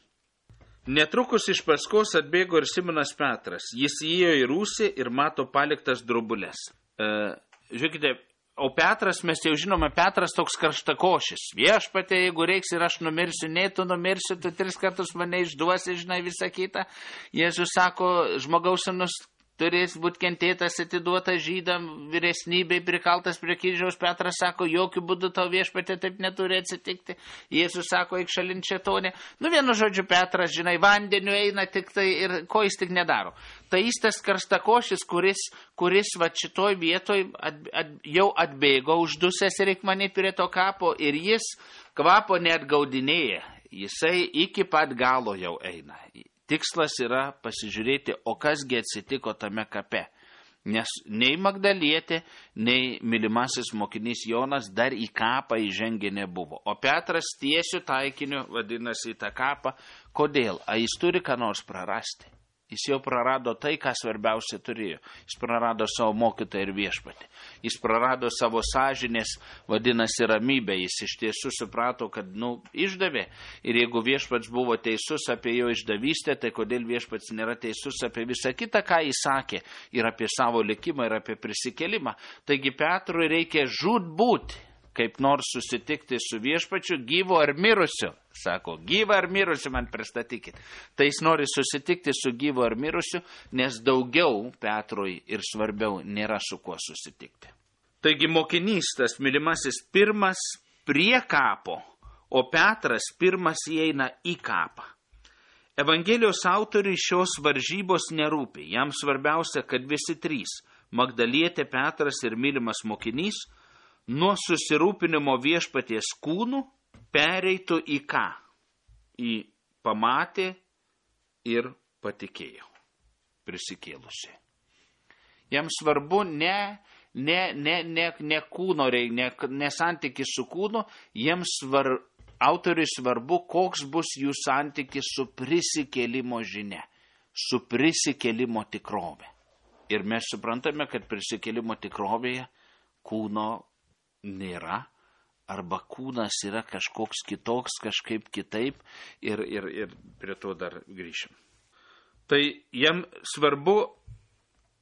Netrukus iš paskos atbėgo ir Simonas Petras. Jis įėjo į rūsį ir mato paliktas drobulės. Žiūrėkite, o Petras, mes jau žinome, Petras toks karštakošis. Viešpatie, jeigu reiks ir aš numirsiu, nei tu numirsiu, tu 3 kartus mane išduosi, žinai, visą kitą. Jėzus sako, žmogaus sūnus turės būti kentėtas, atiduotas žydam, vyresnybei prikaltas prie kryžiaus. Petras sako, jokių būdų tau viešpatie taip neturi atsitikti. Jėzus sako, eik šalin šėtonė. Vienu žodžiu, Petras, žinai, vandeniu eina tik tai ir ko jis tik nedaro. Tai jis tas karštakošis, kuris va šitoj vietoj jau atbėgo uždusęs ir reik manyti prie to kapo ir jis kvapo neatgaudinėja. Jisai iki pat galo jau eina. Tikslas yra pasižiūrėti, o kasgi atsitiko tame kape. Nes nei Magdalietė, nei mylimasis mokinys Jonas dar į kapą įžengę nebuvo. O Petras tiesiu taikiniu vadinasi į tą kapą. Kodėl? Jis turi ką nors prarasti. Jis jau prarado tai, ką svarbiausia turėjo. Jis prarado savo mokytoją ir viešpatį. Jis prarado savo sąžinės, vadinasi, ramybę. Jis iš tiesų suprato, kad, išdavė. Ir jeigu viešpats buvo teisus apie jo išdavystę, tai kodėl viešpats nėra teisus apie visą kitą, ką jis sakė, ir apie savo likimą, ir apie prisikelimą. Taigi Petrui reikia žūtbūt, kaip nors susitikti su viešpačiu, gyvu ar mirusiu. Sako, gyvą ar mirusiu man pristatykit. Tai jis nori susitikti su gyvu ar mirusiu, nes daugiau Petrui ir svarbiau nėra su kuo susitikti. Taigi mokinys, tas mylimasis, pirmas prie kapo, o Petras pirmas įeina į kapą. Evangelijos autoriui šios varžybos nerūpi. Jam svarbiausia, kad visi 3, Magdalietė, Petras ir mylimas mokinys, nuo susirūpinimo viešpaties kūnų pereitų į ką? Į pamatė ir patikėjo prisikėlusi. Jam svarbu ne kūno, ne santykis su kūnu, autoriui svarbu, koks bus jų santykis su prisikėlimo žinia, su prisikėlimo tikrove. Ir mes suprantame, kad prisikėlimo tikrovėje kūno nėra, arba kūnas yra kažkoks kitoks, kažkaip kitaip ir prie to dar grįšim. Tai jam svarbu,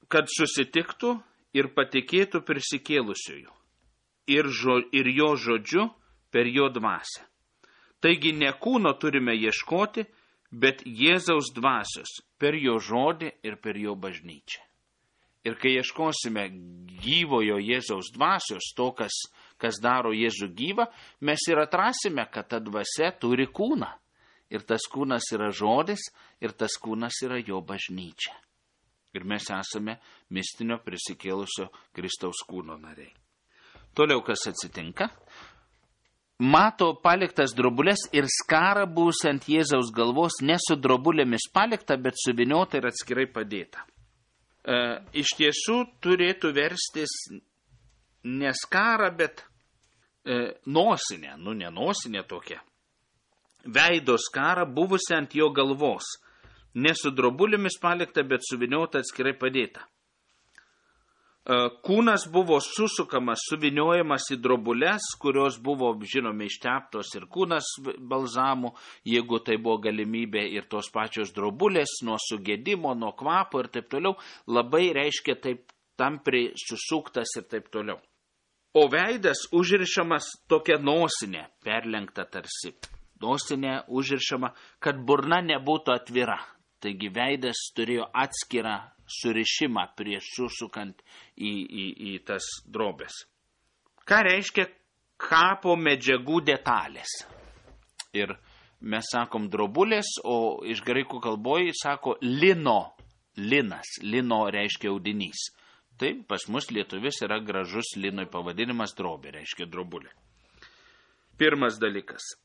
kad susitiktų ir patikėtų prisikėlusiųjų ir jo žodžiu per jo dvasią. Taigi ne kūno turime ieškoti, bet Jėzaus dvasios per jo žodį ir per jo bažnyčią. Ir kai ieškosime gyvojo Jėzaus dvasios, to, kas daro Jėzų gyvą, mes ir atrasime, kad ta dvasia turi kūną. Ir tas kūnas yra žodis, ir tas kūnas yra jo bažnyčia. Ir mes esame mistinio prisikėlusio Kristaus kūno nariai. Toliau kas atsitinka? Mato paliktas drobulės ir skarą buvusią ant Jėzaus galvos, ne su drobulėmis palikta, bet suviniota ir atskirai padėta. Iš tiesų turėtų verstis ne skarą, bet nosinę, ne nosinė tokia, veido skarą buvusi ant jo galvos, ne su drobulėmis palikta, bet suviniota atskirai padėta. Kūnas buvo susukamas, suviniojamas į drobulės, kurios buvo, žinome, išteptos ir kūnas balzamų, jeigu tai buvo galimybė, ir tos pačios drobulės nuo sugėdimo, nuo kvapo ir taip toliau, labai reiškia taip tampriai susuktas ir taip toliau. O veidas užrišamas tokia nosinė, perlenkta tarsi. Nosinė užrišama, kad burna nebūtų atvira. Taigi veidas turėjo atskirą surišimą prieš susukant į tas drobės. Ką reiškia kapo medžiagų detalės? Ir mes sakom drobulės, o iš graikų kalboje sako lino. Linas. Lino reiškia audinys. Taip, pas mus lietuvis yra gražus linoj pavadinimas drobė, reiškia drobulė. Pirmas dalykas.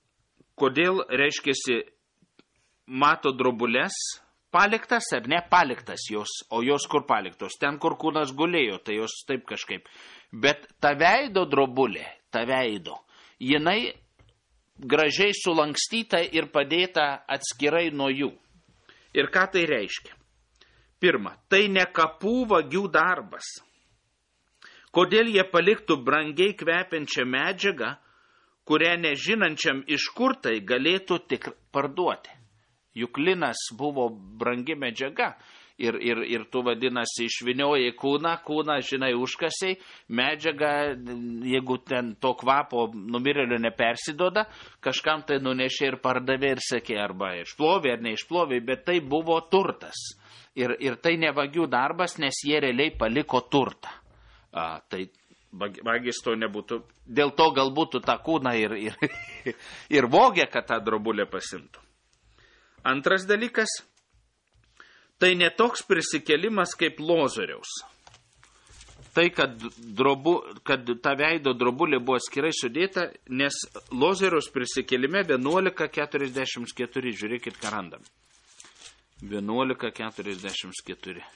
Kodėl reiškiasi mato drobulės? Paliktas ar ne paliktas jos, o jos kur paliktos? Ten, kur kūnas gulėjo, tai jos taip kažkaip. Bet ta veido drobulė, jinai gražiai sulankstyta ir padėta atskirai nuo jų. Ir ką tai reiškia? Pirma, tai ne kapų vagių darbas. Kodėl jie paliktų brangiai kvepiančią medžiagą, kurią nežinančiam iš kur tai galėtų tik parduoti? Juk linas buvo brangi medžiaga ir tu vadinasi išvinioji kūną, žinai, užkasiai, medžiaga, jeigu ten to kvapo numirėlio nepersidoda, kažkam tai nunešė ir pardavė ir sakė, arba išplovė ar neišplovė, bet tai buvo turtas. Ir tai ne vagių darbas, nes jie realiai paliko turtą. Tai vagis to nebūtų, dėl to galbūt tą kūną ir vogė, kad tą drobulę pasimtų. Antras dalykas, tai netoks prisikėlimas kaip Lozoriaus. Tai, kad ta veido drobulė buvo atskirai sudėta, nes Lozoriaus prisikėlime 11:44, žiūrėkit, ką randam. 11:44.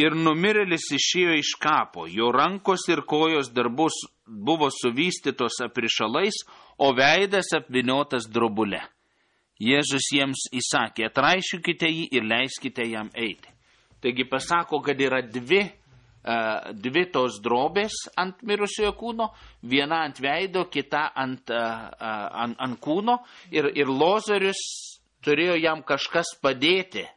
Ir numirėlis išėjo iš kapo, jo rankos ir kojos darbus buvo suvystytos aprišalais, o veidas apviniotas drobule. Jėzus jiems įsakė, atraišykite jį ir leiskite jam eiti. Taigi pasako, kad yra dvi tos drobės ant mirusiojo kūno, viena ant veido, kita ant kūno, ir Lozorius turėjo jam kažkas padėti,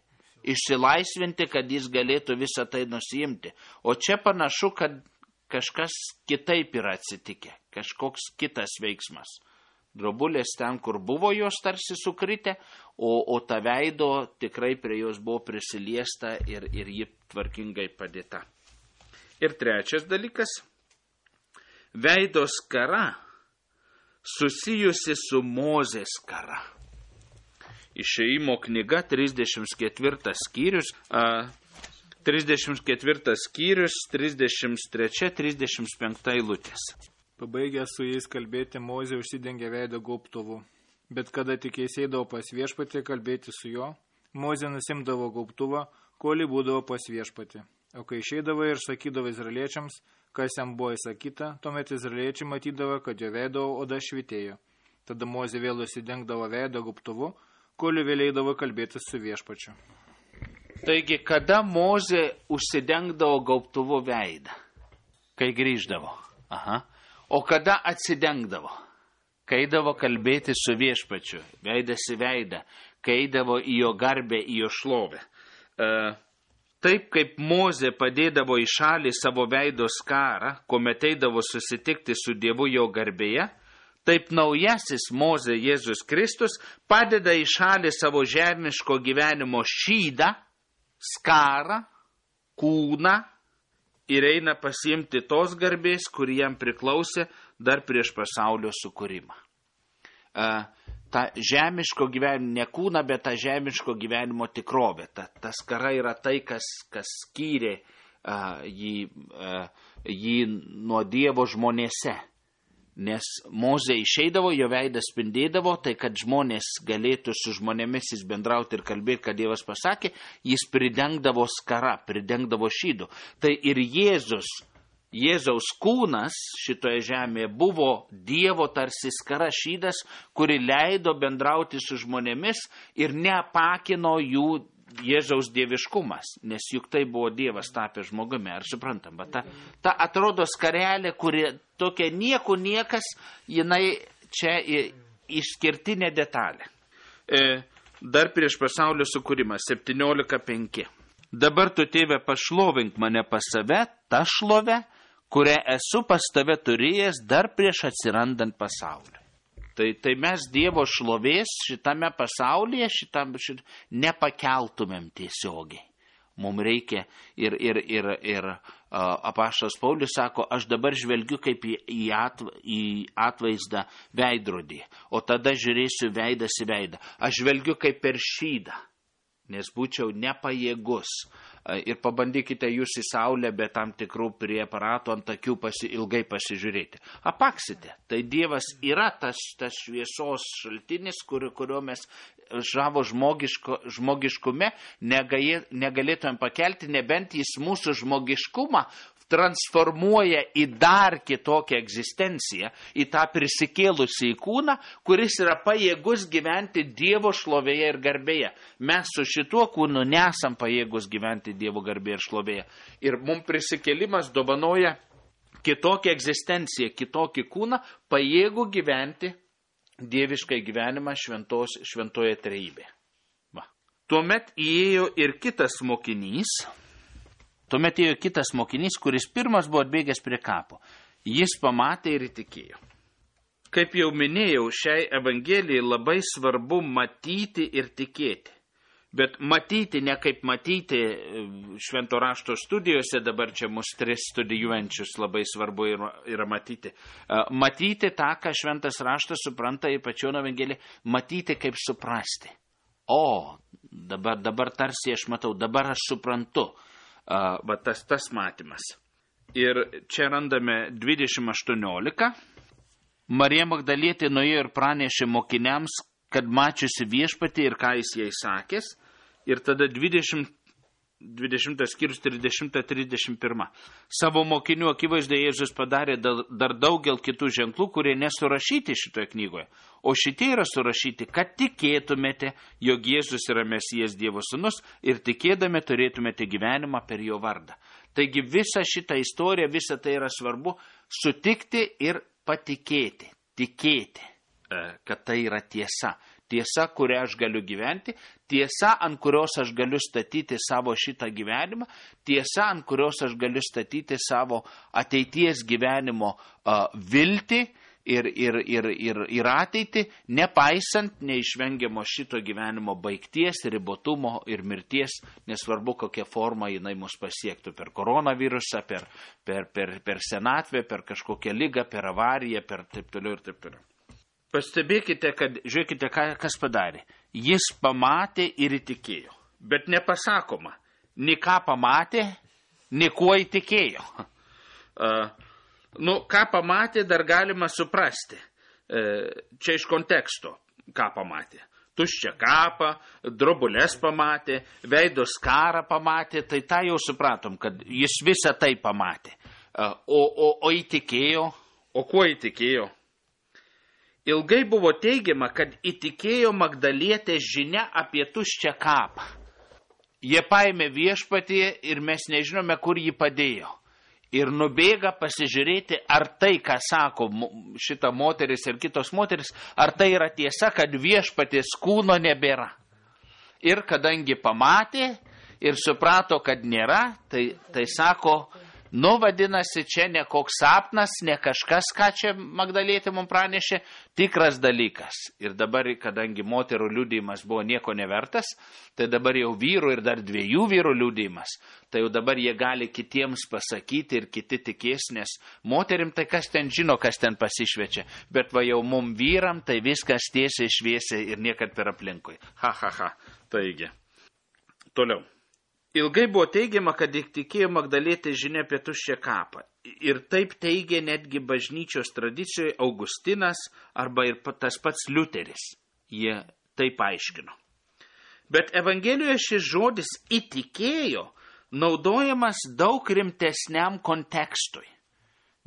išsilaisvinti, kad jis galėtų visą tai nusiimti. O čia panašu, kad kažkas kitaip yra atsitikę, kažkoks kitas veiksmas. Drobulės ten, kur buvo jos tarsi sukritę, o ta veido tikrai prie jos buvo prisiliesta ir ji tvarkingai padėta. Ir trečias dalykas, veido skara susijusi su Mozės skara. Išėjimo knyga 34 skyrius, 33-35 eilutės. Pabaigęs su jais kalbėti, Mozė užsidengė veidą gaubtuvu. Bet kada tik jis eidavo pas viešpatį kalbėti su juo, Mozė nusimdavo gaubtuvą, kol būdavo pas viešpatį. O kai išeidavo ir sakydavo izraeliečiams, kas jam buvo įsakyta, tuomet izraeliečiai matydavo, kad jo veido oda švitėjo. Tada Mozė vėl užsidengdavo veidą gaubtuvu, kol vėl eidavo kalbėti su viešpačiu. Taigi, kada Mozė užsidengdavo gaubtuvu veidą? Kai grįždavo. Aha. O kada atsidengdavo? Kai eidavo kalbėti su viešpačiu, veidas į veidą, kai eidavo į jo garbę, į jo šlovę. Taip kaip Mozė padėdavo į šalį savo veido skarą, kuomet eidavo susitikti su Dievu jo garbėje, taip naujasis Mozė Jėzus Kristus padeda į šalį savo žemiško gyvenimo šydą, skarą, kūną, ir eina pasiimti tos garbės, kuri jam priklausė dar prieš pasaulio sukūrimą. Ta žemiško gyvenimo, ne kūna, bet ta žemiško gyvenimo tikrovė. Ta skara yra tai, kas skyrė jį nuo Dievo žmonėse. Nes Mozė išeidavo, jo veidas spindėdavo, tai kad žmonės galėtų su žmonėmis jis bendrauti ir kalbėti, kad Dievas pasakė, jis pridengdavo skara, pridengdavo šydu. Tai ir Jėzus Jėzaus kūnas šitoje žemėje buvo Dievo tarsi skara šydas, kuri leido bendrauti su žmonėmis ir neapakino jų Jėzaus dieviškumas, nes juk tai buvo Dievas tapęs žmogumi, ar suprantam, bet ta atrodo skarelė, kuri tokia niekas, jinai čia išskirtinė detalė. Dar prieš pasaulio sukūrimą, 17:5. Dabar tu, tėve, pašlovink mane pas save, tą šlovę, kurią esu pas tave turėjęs dar prieš atsirandant pasauliui. Tai mes Dievo šlovės šitame pasaulyje nepakeltumėm tiesiogiai. Mums reikia ir apaštalas Paulius sako, aš dabar žvelgiu kaip į atvaizdą veidrodį, o tada žiūrėsiu veidas į veidą. Aš žvelgiu kaip per šydą, nes būčiau nepajėgus. Ir pabandykite jūs į saulę be tam tikrų prie aparatų ant akių ilgai pasižiūrėti. Apaksite. Tai Dievas yra tas šviesos šaltinis, kurio mes žavo žmogiškume negalėtumėm pakelti, nebent jis mūsų žmogiškumą transformuoja į dar kitokią egzistenciją, į tą prisikėlusį kūną, kuris yra pajėgus gyventi Dievo šlovėje ir garbėje. Mes su šituo kūnu nesam pajėgus gyventi Dievo garbėje ir šlovėje. Ir mums prisikėlimas dovanoja kitokią egzistenciją, kitokį kūną, pajėgų gyventi dieviškai gyvenimą šventoje trejybėje. Tuomet įėjo ir kitas mokinys, kuris pirmas buvo atbėgęs prie kapo. Jis pamatė ir įtikėjo. Kaip jau minėjau, šiai evangelijai labai svarbu matyti ir tikėti. Bet matyti ne kaip matyti švento rašto studijose, dabar čia mus 3 studijuojančius labai svarbu yra matyti. Matyti tą, ką šventas raštas supranta ir pačioje evangelijoje, matyti kaip suprasti. O, dabar tarsi aš matau, dabar aš suprantu. Tas matymas. Ir čia randame 20:18. Marija Magdalietė nuėjo ir pranešė mokiniams, kad mačiusi viešpatį ir ką jis jai sakęs. Ir tada 20 skyrius 30-31. Savo mokinių akivaizdoje Jėzus padarė dar daugel kitų ženklų, kurie nesurašyti šitoje knygoje. O šitie yra surašyti, kad tikėtumėte, jog Jėzus yra Mesijas Dievo sūnus ir tikėdami turėtumėte gyvenimą per jo vardą. Taigi visa šita istorija, visa tai yra svarbu sutikti ir patikėti, tikėti, kad tai yra tiesa. Tiesa, kurią aš galiu gyventi, tiesa, ant kurios aš galiu statyti savo šitą gyvenimą, tiesa, ant kurios aš galiu statyti savo ateities gyvenimo viltį ir ateitį, nepaisant neišvengiamo šito gyvenimo baigties, ribotumo ir mirties, nesvarbu kokia forma jinai mus pasiektų, per koronavirusą, per senatvę, per kažkokią ligą, per avariją, per taip toliau ir taip toliau. Pastebėkite, kad, žiūrėkite, kas padarė. Jis pamatė ir įtikėjo. Bet nepasakoma, ni ką pamatė, ni kuo įtikėjo. Ką pamatė, dar galima suprasti. Čia iš konteksto, ką pamatė. Tuščią kapą, drobulės pamatė, veido skarą pamatė, tai tą jau supratom, kad jis visą tai pamatė. O įtikėjo, o kuo įtikėjo? Ilgai buvo teigiama, kad įtikėjo Magdalietės žinia apie tuščią kapą. Jie paėmė viešpatį ir mes nežinome, kur jį padėjo. Ir nubėga pasižiūrėti, ar tai, ką sako šita moteris ir kitos moteris, ar tai yra tiesa, kad viešpatės kūno nebėra. Ir kadangi pamatė ir suprato, kad nėra, tai sako, vadinasi, čia ne koks sapnas, ne kažkas, ką čia Magdalietė mums pranešė, tikras dalykas. Ir dabar, kadangi moterų liudijimas buvo nieko nevertas, tai dabar jau vyrų ir dar 2 vyrų liudijimas, tai jau dabar jie gali kitiems pasakyti ir kiti tikės, nes moterim tai kas ten žino, kas ten pasišvečia, bet va jau mum vyram tai viskas tiesiai šviesiai ir niekad per aplinkui. Taigi. Toliau. Ilgai buvo teigiama, kad įtikėjo Magdalietė žinia apie tuščią kapą. Ir taip teigė netgi bažnyčios tradicijoje Augustinas arba ir tas pats Liuteris. Jie taip aiškino. Bet Evangelijoje šis žodis įtikėjo naudojamas daug rimtesniam kontekstui.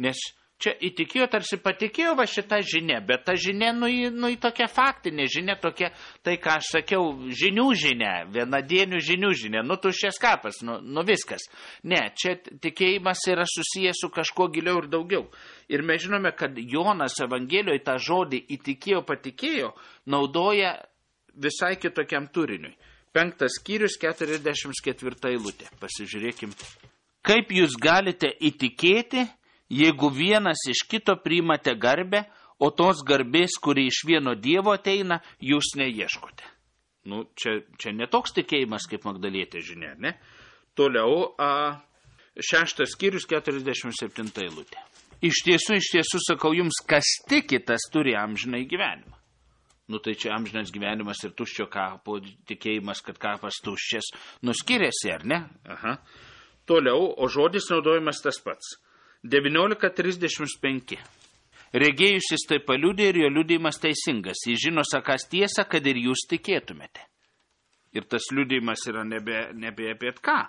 Nes čia įtikėjo, tarsi patikėjo va šitą žinę, bet ta žinia, į tokia faktinė žinia, tokia, tai ką aš sakiau, žinių žinia, vienadienių žinių žinia, tuščias kapas, viskas. Ne, čia tikėjimas yra susijęs su kažkuo giliau ir daugiau. Ir mes žinome, kad Jonas Evangelijoje tą žodį įtikėjo, patikėjo, naudoja visai kitokiam turiniui. 5 skyrius, 44 eilutė. Pasižiūrėkim. Kaip jūs galite įtikėti, jeigu vienas iš kito priimate garbę, o tos garbės, kuri iš vieno Dievo ateina, jūs neieškote. Čia netoks tikėjimas kaip Magdalietė žinia, ne? Toliau 6 skyrius 47 eilutė. Iš tiesų sakau jums, kas tiki, tas turi amžinai gyvenimą. Tai čia amžinas gyvenimas ir tuščio kapo tikėjimas, kad kapas tuščias, skiriasi, ar ne? Aha. Toliau, o žodis naudojimas tas pats. 19:35. Regėjusis tai paliudė ir jo liudijimas teisingas. Jis žino sakąs tiesą, kad ir jūs tikėtumėte. Ir tas liudijimas yra nebe apie ką.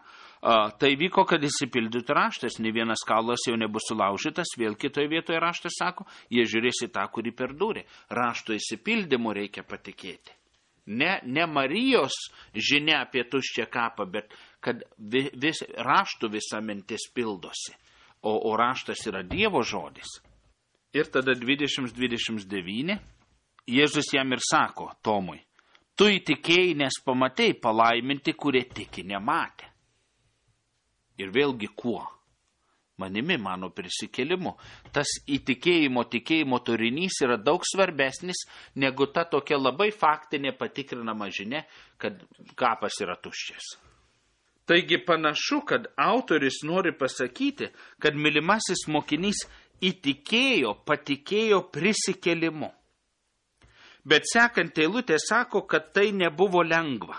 Tai vyko, kad įsipildytų raštas. Ne vienas kaulas jau nebus sulaužytas. Vėl kitoje vietoje raštas sako, jie žiūrės į tą, kurį perdūrė. Rašto įsipildymu reikia patikėti. Ne Marijos žinia apie tuščią kapą, bet kad raštų visa mintis pildosi. O raštas yra Dievo žodis. Ir tada 20:29 Jėzus jam ir sako Tomui, tu įtikėjai, nes pamatei, palaiminti, kurie tiki nematė. Ir vėlgi kuo? Manimi, mano prisikėlimu. Tas tikėjimo turinys yra daug svarbesnis negu ta tokia labai faktinė patikrinama žinia, kad kapas yra tuščias. Taigi panašu, kad autorius nori pasakyti, kad mylimasis mokinys patikėjo prisikėlimu. Bet sekant eilutė sako, kad tai nebuvo lengva.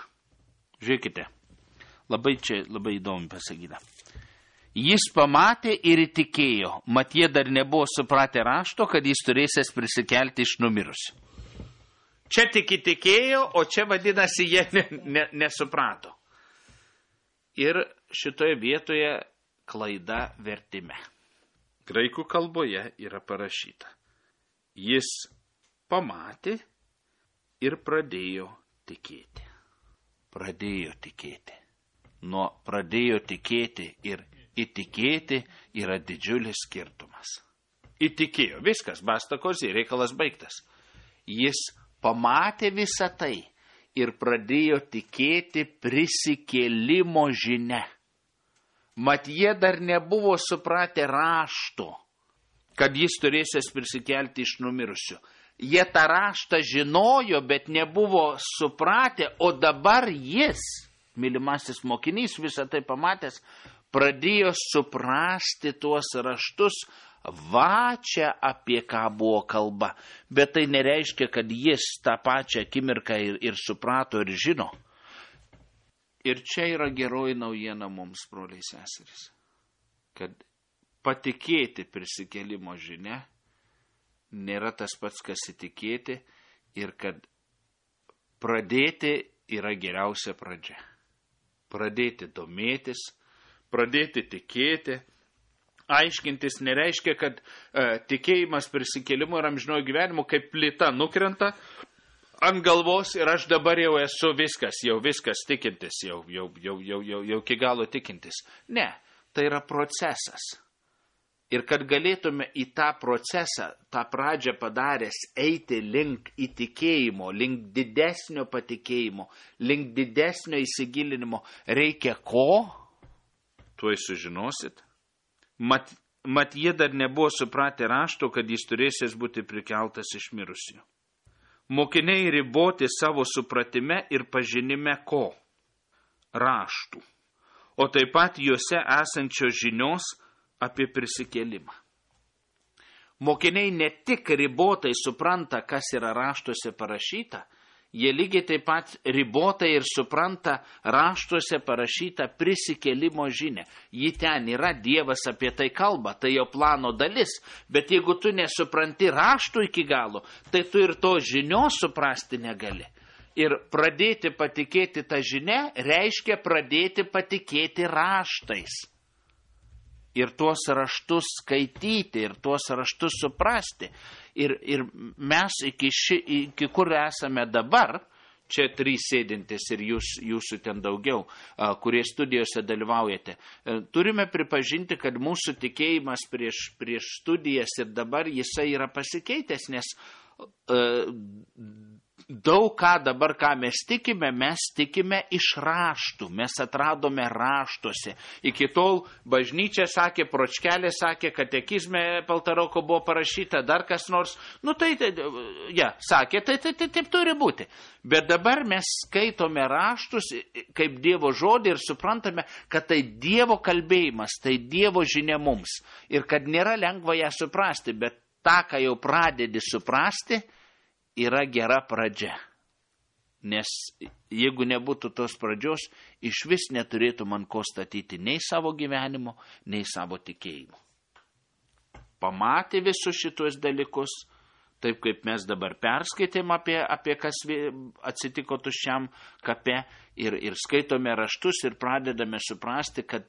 Žiūrėkite, labai įdomu pasakyta. Jis pamatė ir įtikėjo, mat jie dar nebuvo supratę rašto, kad jis turėsės prisikelti iš numirusių. Čia tik įtikėjo, o čia vadinasi jie nesuprato. Ir šitoje vietoje klaida vertime. Graikų kalboje yra parašyta. Jis pamatė ir pradėjo tikėti. Pradėjo tikėti. Nuo pradėjo tikėti ir įtikėti yra didžiulis skirtumas. Įtikėjo, viskas, basta kozė, reikalas baigtas. Jis pamatė visą tai ir pradėjo tikėti prisikėlimo žinia. Mat jie dar nebuvo supratę rašto, kad jis turėsės prisikelti iš numirusių. Jie tą raštą žinojo, bet nebuvo supratę, o dabar jis, mylimasis mokinys, visą tai pamatęs, pradėjo suprasti tuos raštus, va čia apie ką buvo kalba. Bet tai nereiškia, kad jis tą pačią akimirką ir suprato ir žino. Ir čia yra geroji naujiena mums, broliai seserys, kad patikėti prisikėlimo žinia nėra tas pats, kas įtikėti, ir kad pradėti yra geriausia pradžia. Pradėti domėtis, pradėti tikėti. Aiškintis nereiškia, kad tikėjimas prisikėlimu ir amžinojo gyvenimu kaip plyta nukrenta ant galvos ir aš dabar jau esu viskas tikintis, jau iki galo tikintis. Ne, tai yra procesas. Ir kad galėtume į tą procesą, tą pradžią padaręs, eiti link įtikėjimo, link didesnio patikėjimo, link didesnio įsigilinimo, reikia ko? Tuoj sužinosit. Mat jie dar nebuvo supratę rašto, kad jis turėsės būti prikeltas iš mirusių. Mokiniai riboti savo supratime ir pažinime ko? Raštų. O taip pat juose esančios žinios apie prisikėlimą. Mokiniai ne tik ribotai supranta, kas yra raštuose parašyta, jie lygiai taip pat ribotai ir supranta raštuose parašytą prisikėlimo žinią. Ji ten yra, Dievas apie tai kalba, tai jo plano dalis, bet jeigu tu nesupranti raštų iki galo, tai tu ir to žinios suprasti negali. Ir pradėti patikėti tą žinią reiškia pradėti patikėti raštais. ir tuos raštus skaityti, ir tuos raštus suprasti. Ir mes iki kur esame dabar, čia 3 sėdintis ir jūsų ten daugiau, kurie studijose dalyvaujate, turime pripažinti, kad mūsų tikėjimas prieš studijas ir dabar jisai yra pasikeitęs, nes daug ką mes tikime iš raštų, mes atradome raštuose. Iki tol bažnyčia sakė, pročkelė sakė, katekizme Paltaroko buvo parašyta, dar kas nors, sakė, tai taip turi būti. Bet dabar mes skaitome raštus kaip Dievo žodį ir suprantame, kad tai Dievo kalbėjimas, tai Dievo žinia mums. Ir kad nėra lengva ją suprasti, bet tą, ką jau pradedi suprasti, yra gera pradžia. Nes jeigu nebūtų tos pradžios, iš vis neturėtų man ko statyti nei savo gyvenimo, nei savo tikėjimo. Pamatė visus šitos dalykus, taip kaip mes dabar perskaitėm apie kas atsitiko tuščiam kape ir skaitome raštus ir pradedame suprasti, kad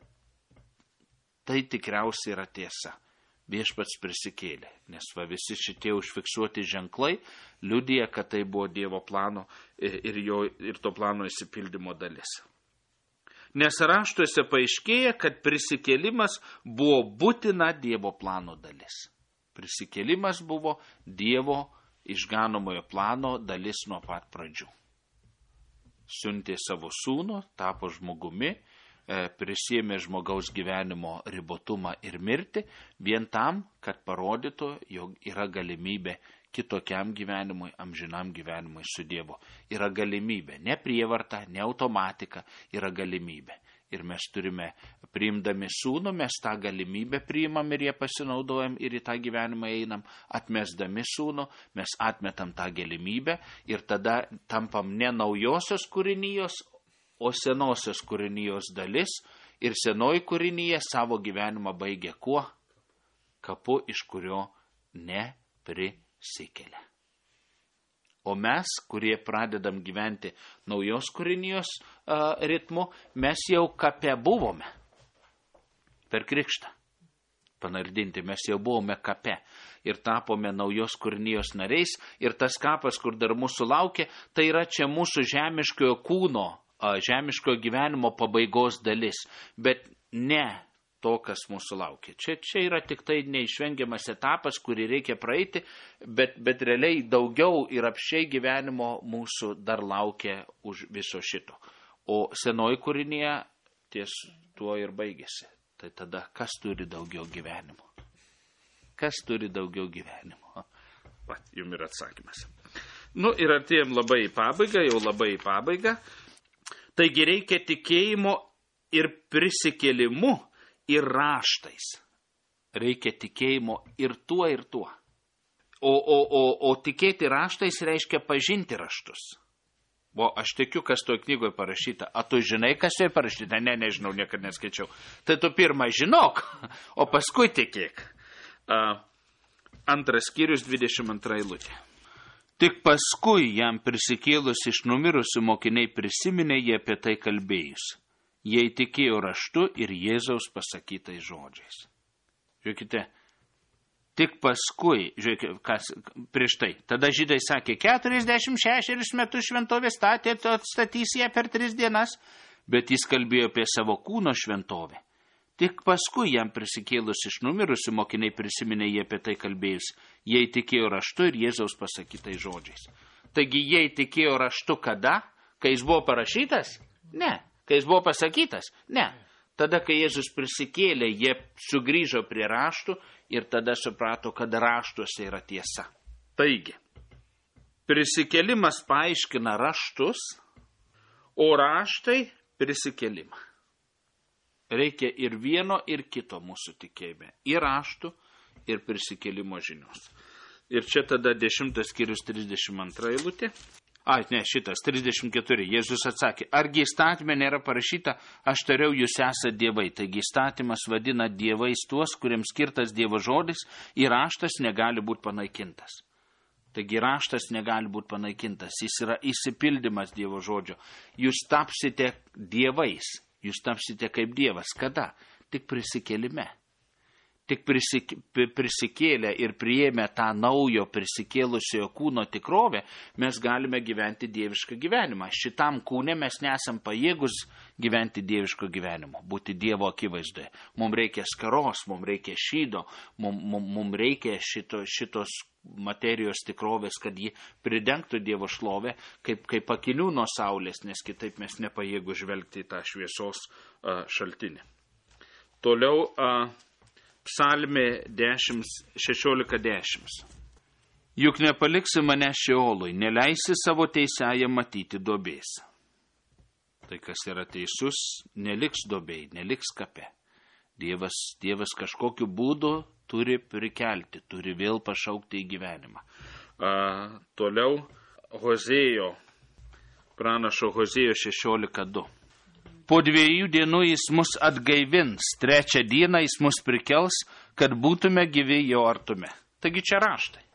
tai tikriausiai yra tiesa. Viešpats prisikėlė, nes visi šitie užfiksuoti ženklai liudija, kad tai buvo Dievo plano ir to plano įsipildymo dalis. Nes raštuose paaiškėja, kad prisikėlimas buvo būtina Dievo plano dalis. Prisikėlimas buvo Dievo išganomojo plano dalis nuo pat pradžių. Siuntė savo sūnų, tapo žmogumi, prisėmė žmogaus gyvenimo ribotumą ir mirtį, vien tam, kad parodytų, jog yra galimybė kitokiam gyvenimui, amžinam gyvenimui su Dievu. Yra galimybė, ne prievarta, ne automatika, yra galimybė. Ir mes turime, priimdami sūnų, mes tą galimybę priimam ir ją pasinaudojam ir į tą gyvenimą einam. Atmesdami sūnų, mes atmetam tą galimybę ir tada tampam ne naujosios kūrinijos, o senosios kūrinijos dalis, ir senoji kūrinija savo gyvenimą baigia kuo? Kapu, iš kurio neprisikelia. O mes, kurie pradedam gyventi naujos kūrinijos ritmu, mes jau kape buvome per krikštą. Panardinti, mes jau buvome kape ir tapome naujos kūrinijos nariais, ir tas kapas, kur dar mūsų laukia, tai yra čia mūsų žemiškojo kūno, žemiškojo gyvenimo pabaigos dalis, bet ne to, kas mūsų laukia. Čia yra tik tai neišvengiamas etapas, kurį reikia praeiti, bet realiai daugiau ir apšiai gyvenimo mūsų dar laukia už viso šito. O senoji kūrinija ties tuo ir baigėsi. Tai tada, kas turi daugiau gyvenimo? Kas turi daugiau gyvenimo? Jums yra atsakymas. Ir artėjom labai į pabaigą, Taigi reikia tikėjimo ir prisikėlimu ir raštais. Reikia tikėjimo ir tuo. O tikėti raštais reiškia pažinti raštus. O aš tikiu, kas toj knygoje parašyta. A tu žinai, kas joje parašyta? Ne, nežinau, niekada neskaičiau. Tai tu pirmą žinok, o paskui tikėk. 2 skyrius 22 eilutė. Tik paskui jam prisikėlus iš numirusių mokiniai prisiminė jie apie tai kalbėjus. Jie įtikėjo raštu ir Jėzaus pasakytais žodžiais. Žiūrėkite, tik paskui, žiūrėkite, kas prieš tai. Tada žydai sakė, 46 metus šventovė statė, atstatys ją per 3 dienas, bet jis kalbėjo apie savo kūno šventovę. Tik paskui jam prisikėlus iš numirusių mokiniai prisiminė jie apie tai kalbėjus. Jie įtikėjo raštu ir Jėzaus pasakytais žodžiais. Taigi jie įtikėjo raštu kada? Kai jis buvo parašytas? Ne. Kai jis buvo pasakytas? Ne. Tada, kai Jėzus prisikėlė, jie sugrįžo prie raštų ir tada suprato, kad raštuose yra tiesa. Taigi, prisikėlimas paaiškina raštus, o raštai prisikėlimą. Reikia ir vieno, ir kito mūsų tikėjime. Ir raštų, ir prisikėlimo žinios. Ir čia tada 10 skyrius 32 eilutė. 34. Jėzus atsakė, argi įstatyme nėra parašyta, aš tariau, jūs esate dievai. Taigi įstatymas vadina dievais tuos, kuriems skirtas Dievo žodis, ir raštas negali būti panaikintas. Taigi raštas negali būti panaikintas. Jis yra įsipildymas Dievo žodžio. Jūs tapsite dievais. Jūs tapsite kaip Dievas. Kada? Tik prisikėlime. tik prisikėlę ir priėmę tą naujo prisikėlusiojo kūno tikrovę, mes galime gyventi dievišką gyvenimą. Šitam kūne mes nesam pajėgus gyventi dieviško gyvenimo, būti Dievo akivaizdoje. Mums reikia skaros, mums reikia šydo, mums reikia šitos materijos tikrovės, kad ji pridengtų Dievo šlovę, kaip akinių nuo saulės, nes kitaip mes nepajėgus žvelgti į tą šviesos šaltinį. Toliau Psalmė 16:10. Juk nepaliksi mane Šeolui, neleisi savo teisėje matyti duobės. Tai kas yra teisus, neliks duobėj, neliks kape. Dievas kažkokiu būdu turi prikelti, turi vėl pašaukti į gyvenimą. Toliau Hozėjo, pranašo Hozėjo 16:2. Po 2 dienų jis mus atgaivins, 3 dieną jis mus prikels, kad būtume gyvi jo artume. Taigi čia raštai.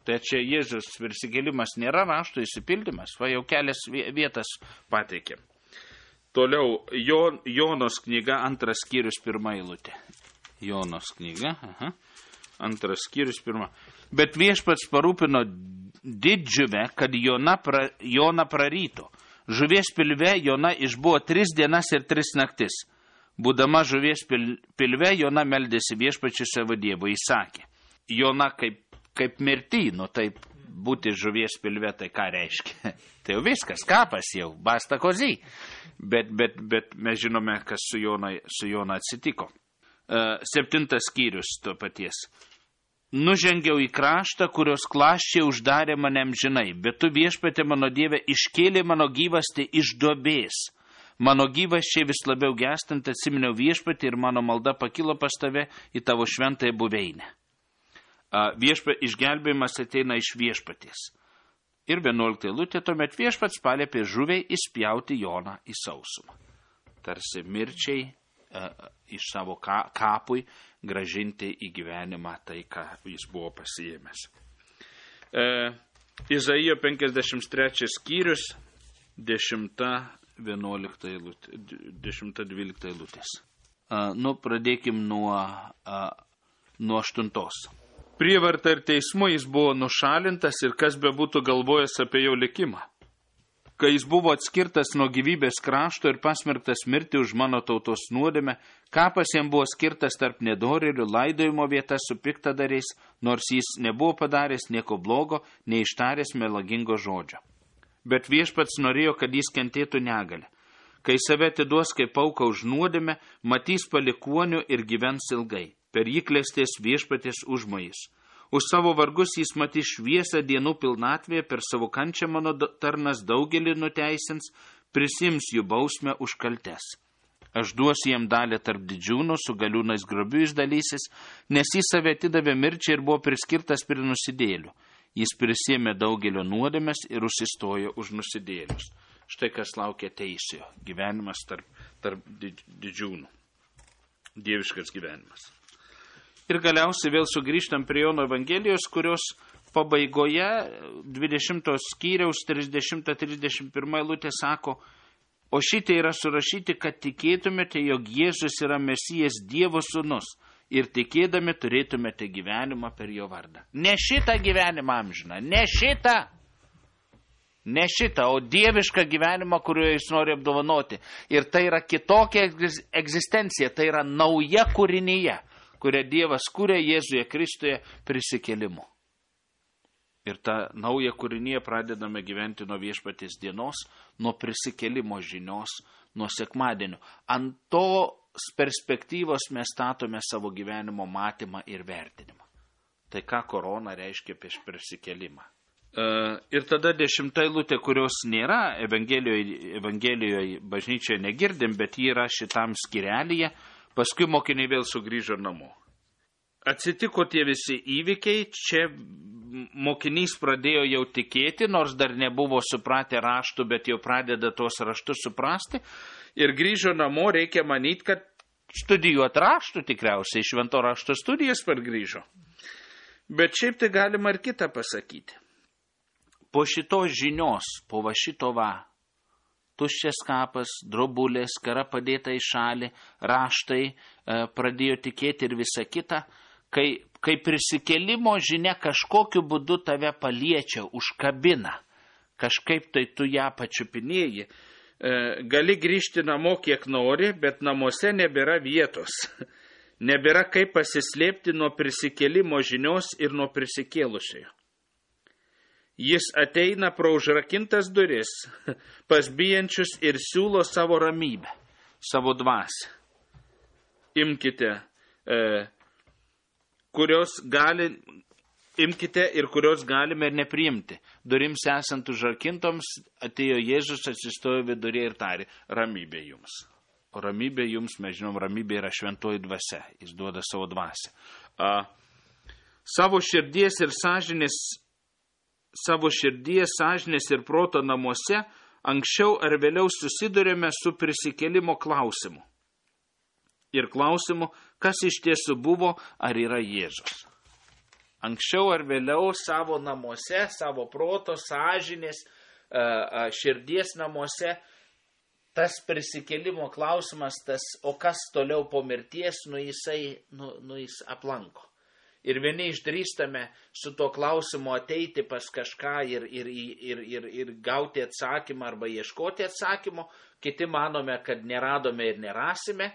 Tai čia Jėzus prisikėlimas nėra rašto įsipildymas, va jau kelias vietas pateikėm. Toliau Jonos knyga, 2 skyrius, 1 eilutė. Jonos knyga, 2 skyrius, 1. Bet viešpats parūpino didžiuvę, kad Joną prarytų. Žuvies pilve Jona išbuvo 3 dienas ir 3 naktis. Būdama žuvies pilve, Jona meldėsi viešpačiui savo Dievui. Jis sakė, Jona kaip mirty, taip būti žuvies pilve, tai ką reiškia? Tai jau viskas, kapas jau, basta kozy. Bet mes žinome, kas su Jona atsitiko. 7 skyrius to paties. Nužengiau į kraštą, kurios klaščiai uždarė mane amžinai, bet tu viešpatie mano Dieve iškėlė mano gyvastį iš duobės. Mano gyvasčiai vis labiau gestant atsiminiau viešpatį ir mano malda pakilo pas tave į tavo šventąją buveinę. Išgelbėjimas ateina iš viešpaties. Ir 11 eilutė, tuomet viešpats paliepė žuviai įspjauti Joną į sausumą. Tarsi mirčiai iš savo kapui gražinti į gyvenimą tai, ką jis buvo pasiėmęs. Izaijo 53 skyrius, 10-12 eilutės. Pradėkim nuo 8. Prievarta ir teismu jis buvo nušalintas ir kas bebūtų galvojęs apie jo likimą. Kai jis buvo atskirtas nuo gyvybės krašto ir pasmerktas mirti už mano tautos nuodėmę, kapas jam buvo skirtas tarp nedorėlių, laidojimo vieta su piktadariais, nors jis nebuvo padaręs nieko blogo, neištaręs melagingo žodžio. Bet viešpats norėjo, kad jis kentėtų negalę. Kai save atiduos kaip auką už nuodėmę, matys palikuonių ir gyvens ilgai. Per jį klestės viešpaties užmojis. Už savo vargus jis matys šviesą dienų pilnatvėje, per savo kančią mano tarnas daugelį nuteisins, prisims jų bausmę už kaltes. Aš duosiu jam dalį tarp didžiūnų, su galiūnais grobiu jis dalysis, nes jis save atidavė mirčiai ir buvo priskirtas prie nusidėlių. Jis prisėmė daugelio nuodėmes ir užsistojo už nusidėlius. Štai kas laukia teisiojo. Gyvenimas tarp didžiūnų. Dieviškas gyvenimas. Ir galiausiai vėl sugrįžtam prie Jono Evangelijos, kurios pabaigoje 20 skyriaus 30-31 eilutė sako, o šitai yra surašyti, kad tikėtumėte, jog Jėzus yra Mesijas Dievo sūnus ir tikėdami turėtumėte gyvenimą per jo vardą. Ne šitą gyvenimą amžiną, ne šitą, o dievišką gyvenimą, kuriuo jis nori apdovanoti. Ir tai yra kitokia egzistencija, tai yra nauja kūrinyje, kurią Dievas kūrė Jėzuje Kristuje prisikėlimu. Ir tą naują kūrinyje pradedame gyventi nuo viešpaties dienos, nuo prisikėlimo žinios, nuo sekmadienio. Ant tos perspektyvos mes statome savo gyvenimo matymą ir vertinimą. Tai ką korona reiškia prieš prisikėlimą. Ir tada 10 eilutė, kurios nėra Evangelijoje bažnyčioje negirdim, bet ji yra šitam skyrelyje. Paskui mokiniai vėl sugrįžo namo. Atsitiko tie visi įvykiai, čia mokinys pradėjo jau tikėti, nors dar nebuvo supratę raštų, bet jau pradeda tos raštus suprasti. Ir grįžo namo, reikia manyti, kad studijuoti raštų tikriausiai, švento rašto studijas pargrįžo. Bet šiaip tai galima ir kitą pasakyti. Po šitos žinios, po šito tuščias kapas, drobulės, skara padėta į šalį, raštai, pradėjo tikėti ir visa kita. Kai prisikėlimo žinia kažkokiu būdu tave paliečia, užkabina, kažkaip tai tu ją pačiupinėji, gali grįžti namo kiek nori, bet namuose nebėra vietos. Nebėra kaip pasislėpti nuo prisikėlimo žinios ir nuo prisikėlusiojo. Jis ateina pro užrakintas duris, pas bijančius ir siūlo savo ramybę, savo dvasią. Imkite ir kurios galime ir nepriimti. Durims esant užrakintoms, atėjo Jėzus, atsistojo vidurė ir tarė, ramybė jums. O ramybė jums, mes žinom, ramybė yra šventoji dvasia, jis duoda savo dvasią. Savo širdies, sąžinės ir proto namuose anksčiau ar vėliau susidurėme su prisikėlimo klausimu. Ir klausimu, kas iš tiesų buvo, ar yra Jėzus. Anksčiau ar vėliau savo namuose, savo proto, sąžinės, širdies namuose, tas prisikėlimo klausimas, o kas toliau po mirties, jis aplanko. Ir vieni išdrįstame su tuo klausimu ateiti pas kažką ir gauti atsakymą arba ieškoti atsakymo, kiti manome, kad neradome ir nerasime,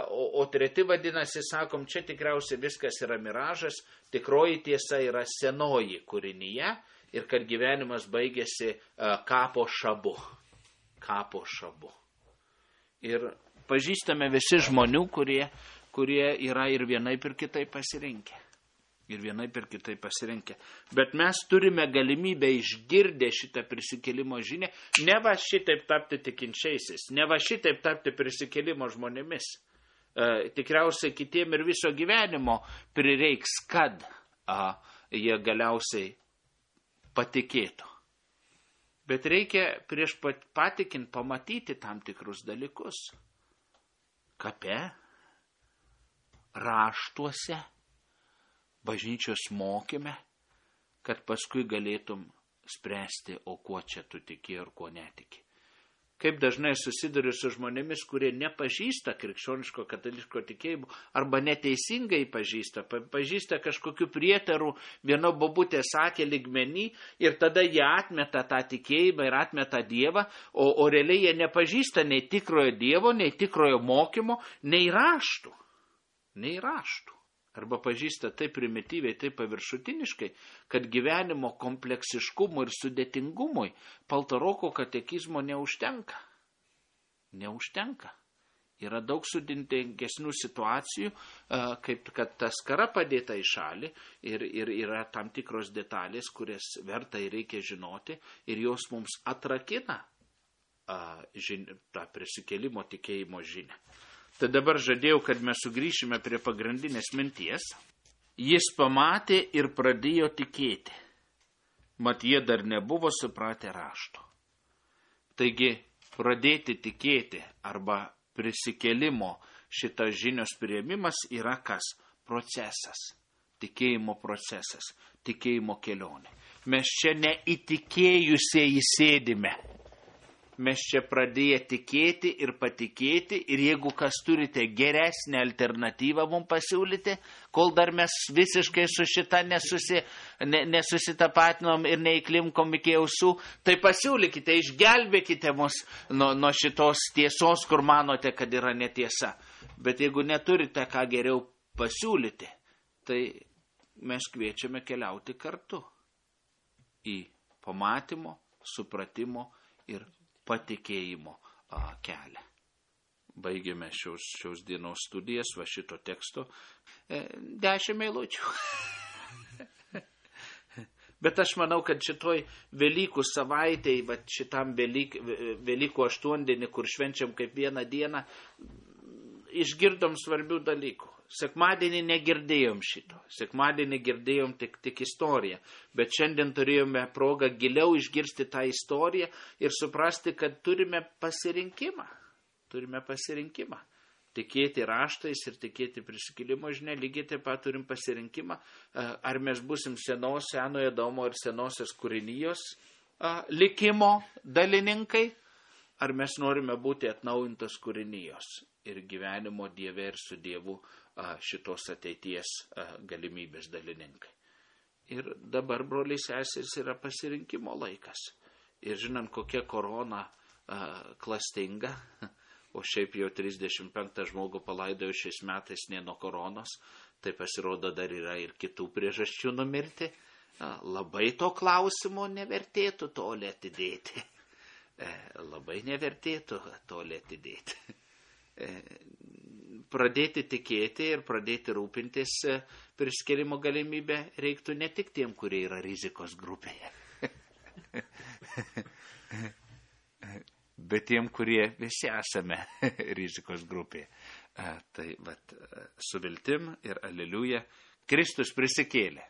o treti vadinasi, sakom, čia tikriausiai viskas yra miražas, tikroji tiesa yra senoji kūrinyje ir kad gyvenimas baigėsi kapo šabu. Kapo šabu. Ir pažįstame visi žmonių, kurie yra ir vienaip ir kitaip pasirinkę. Bet mes turime galimybę išgirdę šitą prisikėlimo žinią, ne va šitaip tapti tikinčiaisiais, ne va šitaip tapti prisikėlimo žmonėmis. Tikriausiai kitiem ir viso gyvenimo prireiks, kad jie galiausiai patikėtų. Bet reikia prieš patikint pamatyti tam tikrus dalykus. Kape, raštuose, bažnyčios mokyme, kad paskui galėtum spręsti, o kuo čia tu tiki ir kuo netiki. Kaip dažnai susiduriu su žmonėmis, kurie nepažįsta krikščioniško katalikiško tikėjimo arba neteisingai pažįsta kažkokiu prietaru, vieno bobutė sakė lygmenį ir tada jie atmeta tą tikėjimą ir atmeta Dievą, o realiai jie nepažįsta nei tikrojo Dievo, nei tikrojo mokymo, nei raštų. Arba pažįsta taip primityviai, taip paviršutiniškai, kad gyvenimo kompleksiškumui ir sudėtingumui Paltaroko katekizmo neužtenka. Yra daug sudėtingesnių situacijų, kaip kad ta skara padėta į šalį ir yra tam tikros detalės, kurias verta ir reikia žinoti ir jos mums atrakina tą prisikėlimo tikėjimo žinią. Tai dabar žadėjau, kad mes sugrįšime prie pagrindinės minties. Jis pamatė ir pradėjo tikėti. Mat jie dar nebuvo supratę rašto. Taigi, pradėti tikėti arba prisikėlimo šitas žinios priėmimas yra kas? Procesas. Tikėjimo procesas. Tikėjimo kelionė. Mes čia neįtikėjusieji sėdime. Mes čia pradėję tikėti ir patikėti ir jeigu kas turite geresnę alternatyvą mums pasiūlyti, kol dar mes visiškai su šita nesusitapatinom ir neįklimkom iki ausų, tai pasiūlykite, išgelbėkite mus nuo šitos tiesos, kur manote, kad yra netiesa. Bet jeigu neturite ką geriau pasiūlyti, tai mes kviečiame keliauti kartu į pamatymo, supratimo ir patikėjimo kelią. Baigėme šios dienos studijas, va šito teksto 10 eilučių. Bet aš manau, kad šitoj Velykų savaitėj, va šitam Velykų aštuondienį, kur švenčiam kaip vieną dieną, išgirdom svarbių dalykų. Sekmadienį negirdėjom šito. Sekmadienį girdėjom tik istoriją. Bet šiandien turėjome progą giliau išgirsti tą istoriją ir suprasti, kad turime pasirinkimą. Tikėti raštais ir tikėti prisikėlimo žinia, lygiai taip pat turim pasirinkimą, ar mes busim senojo Adomo ir senosios kūrinijos likimo dalininkai, ar mes norime būti atnaujintos kūrinijos ir gyvenimo Dieve ir su Dievu šitos ateities galimybės dalininkai. Ir dabar, broliai seserys, yra pasirinkimo laikas. Ir žinant, kokia korona klastinga, o šiaip jau 35 žmogų palaidojo šiais metais ne nuo koronos, tai pasirodo dar yra ir kitų priežasčių numirti. Labai to klausimo nevertėtų toli atidėti. Labai nevertėtų toli atidėti. Pradėti tikėti ir pradėti rūpintis priskirimo galimybę reiktų ne tik tiem, kurie yra rizikos grupėje, bet tiem, kurie visi esame rizikos grupėje. Tai su viltim ir aleliuja, Kristus prisikėlė.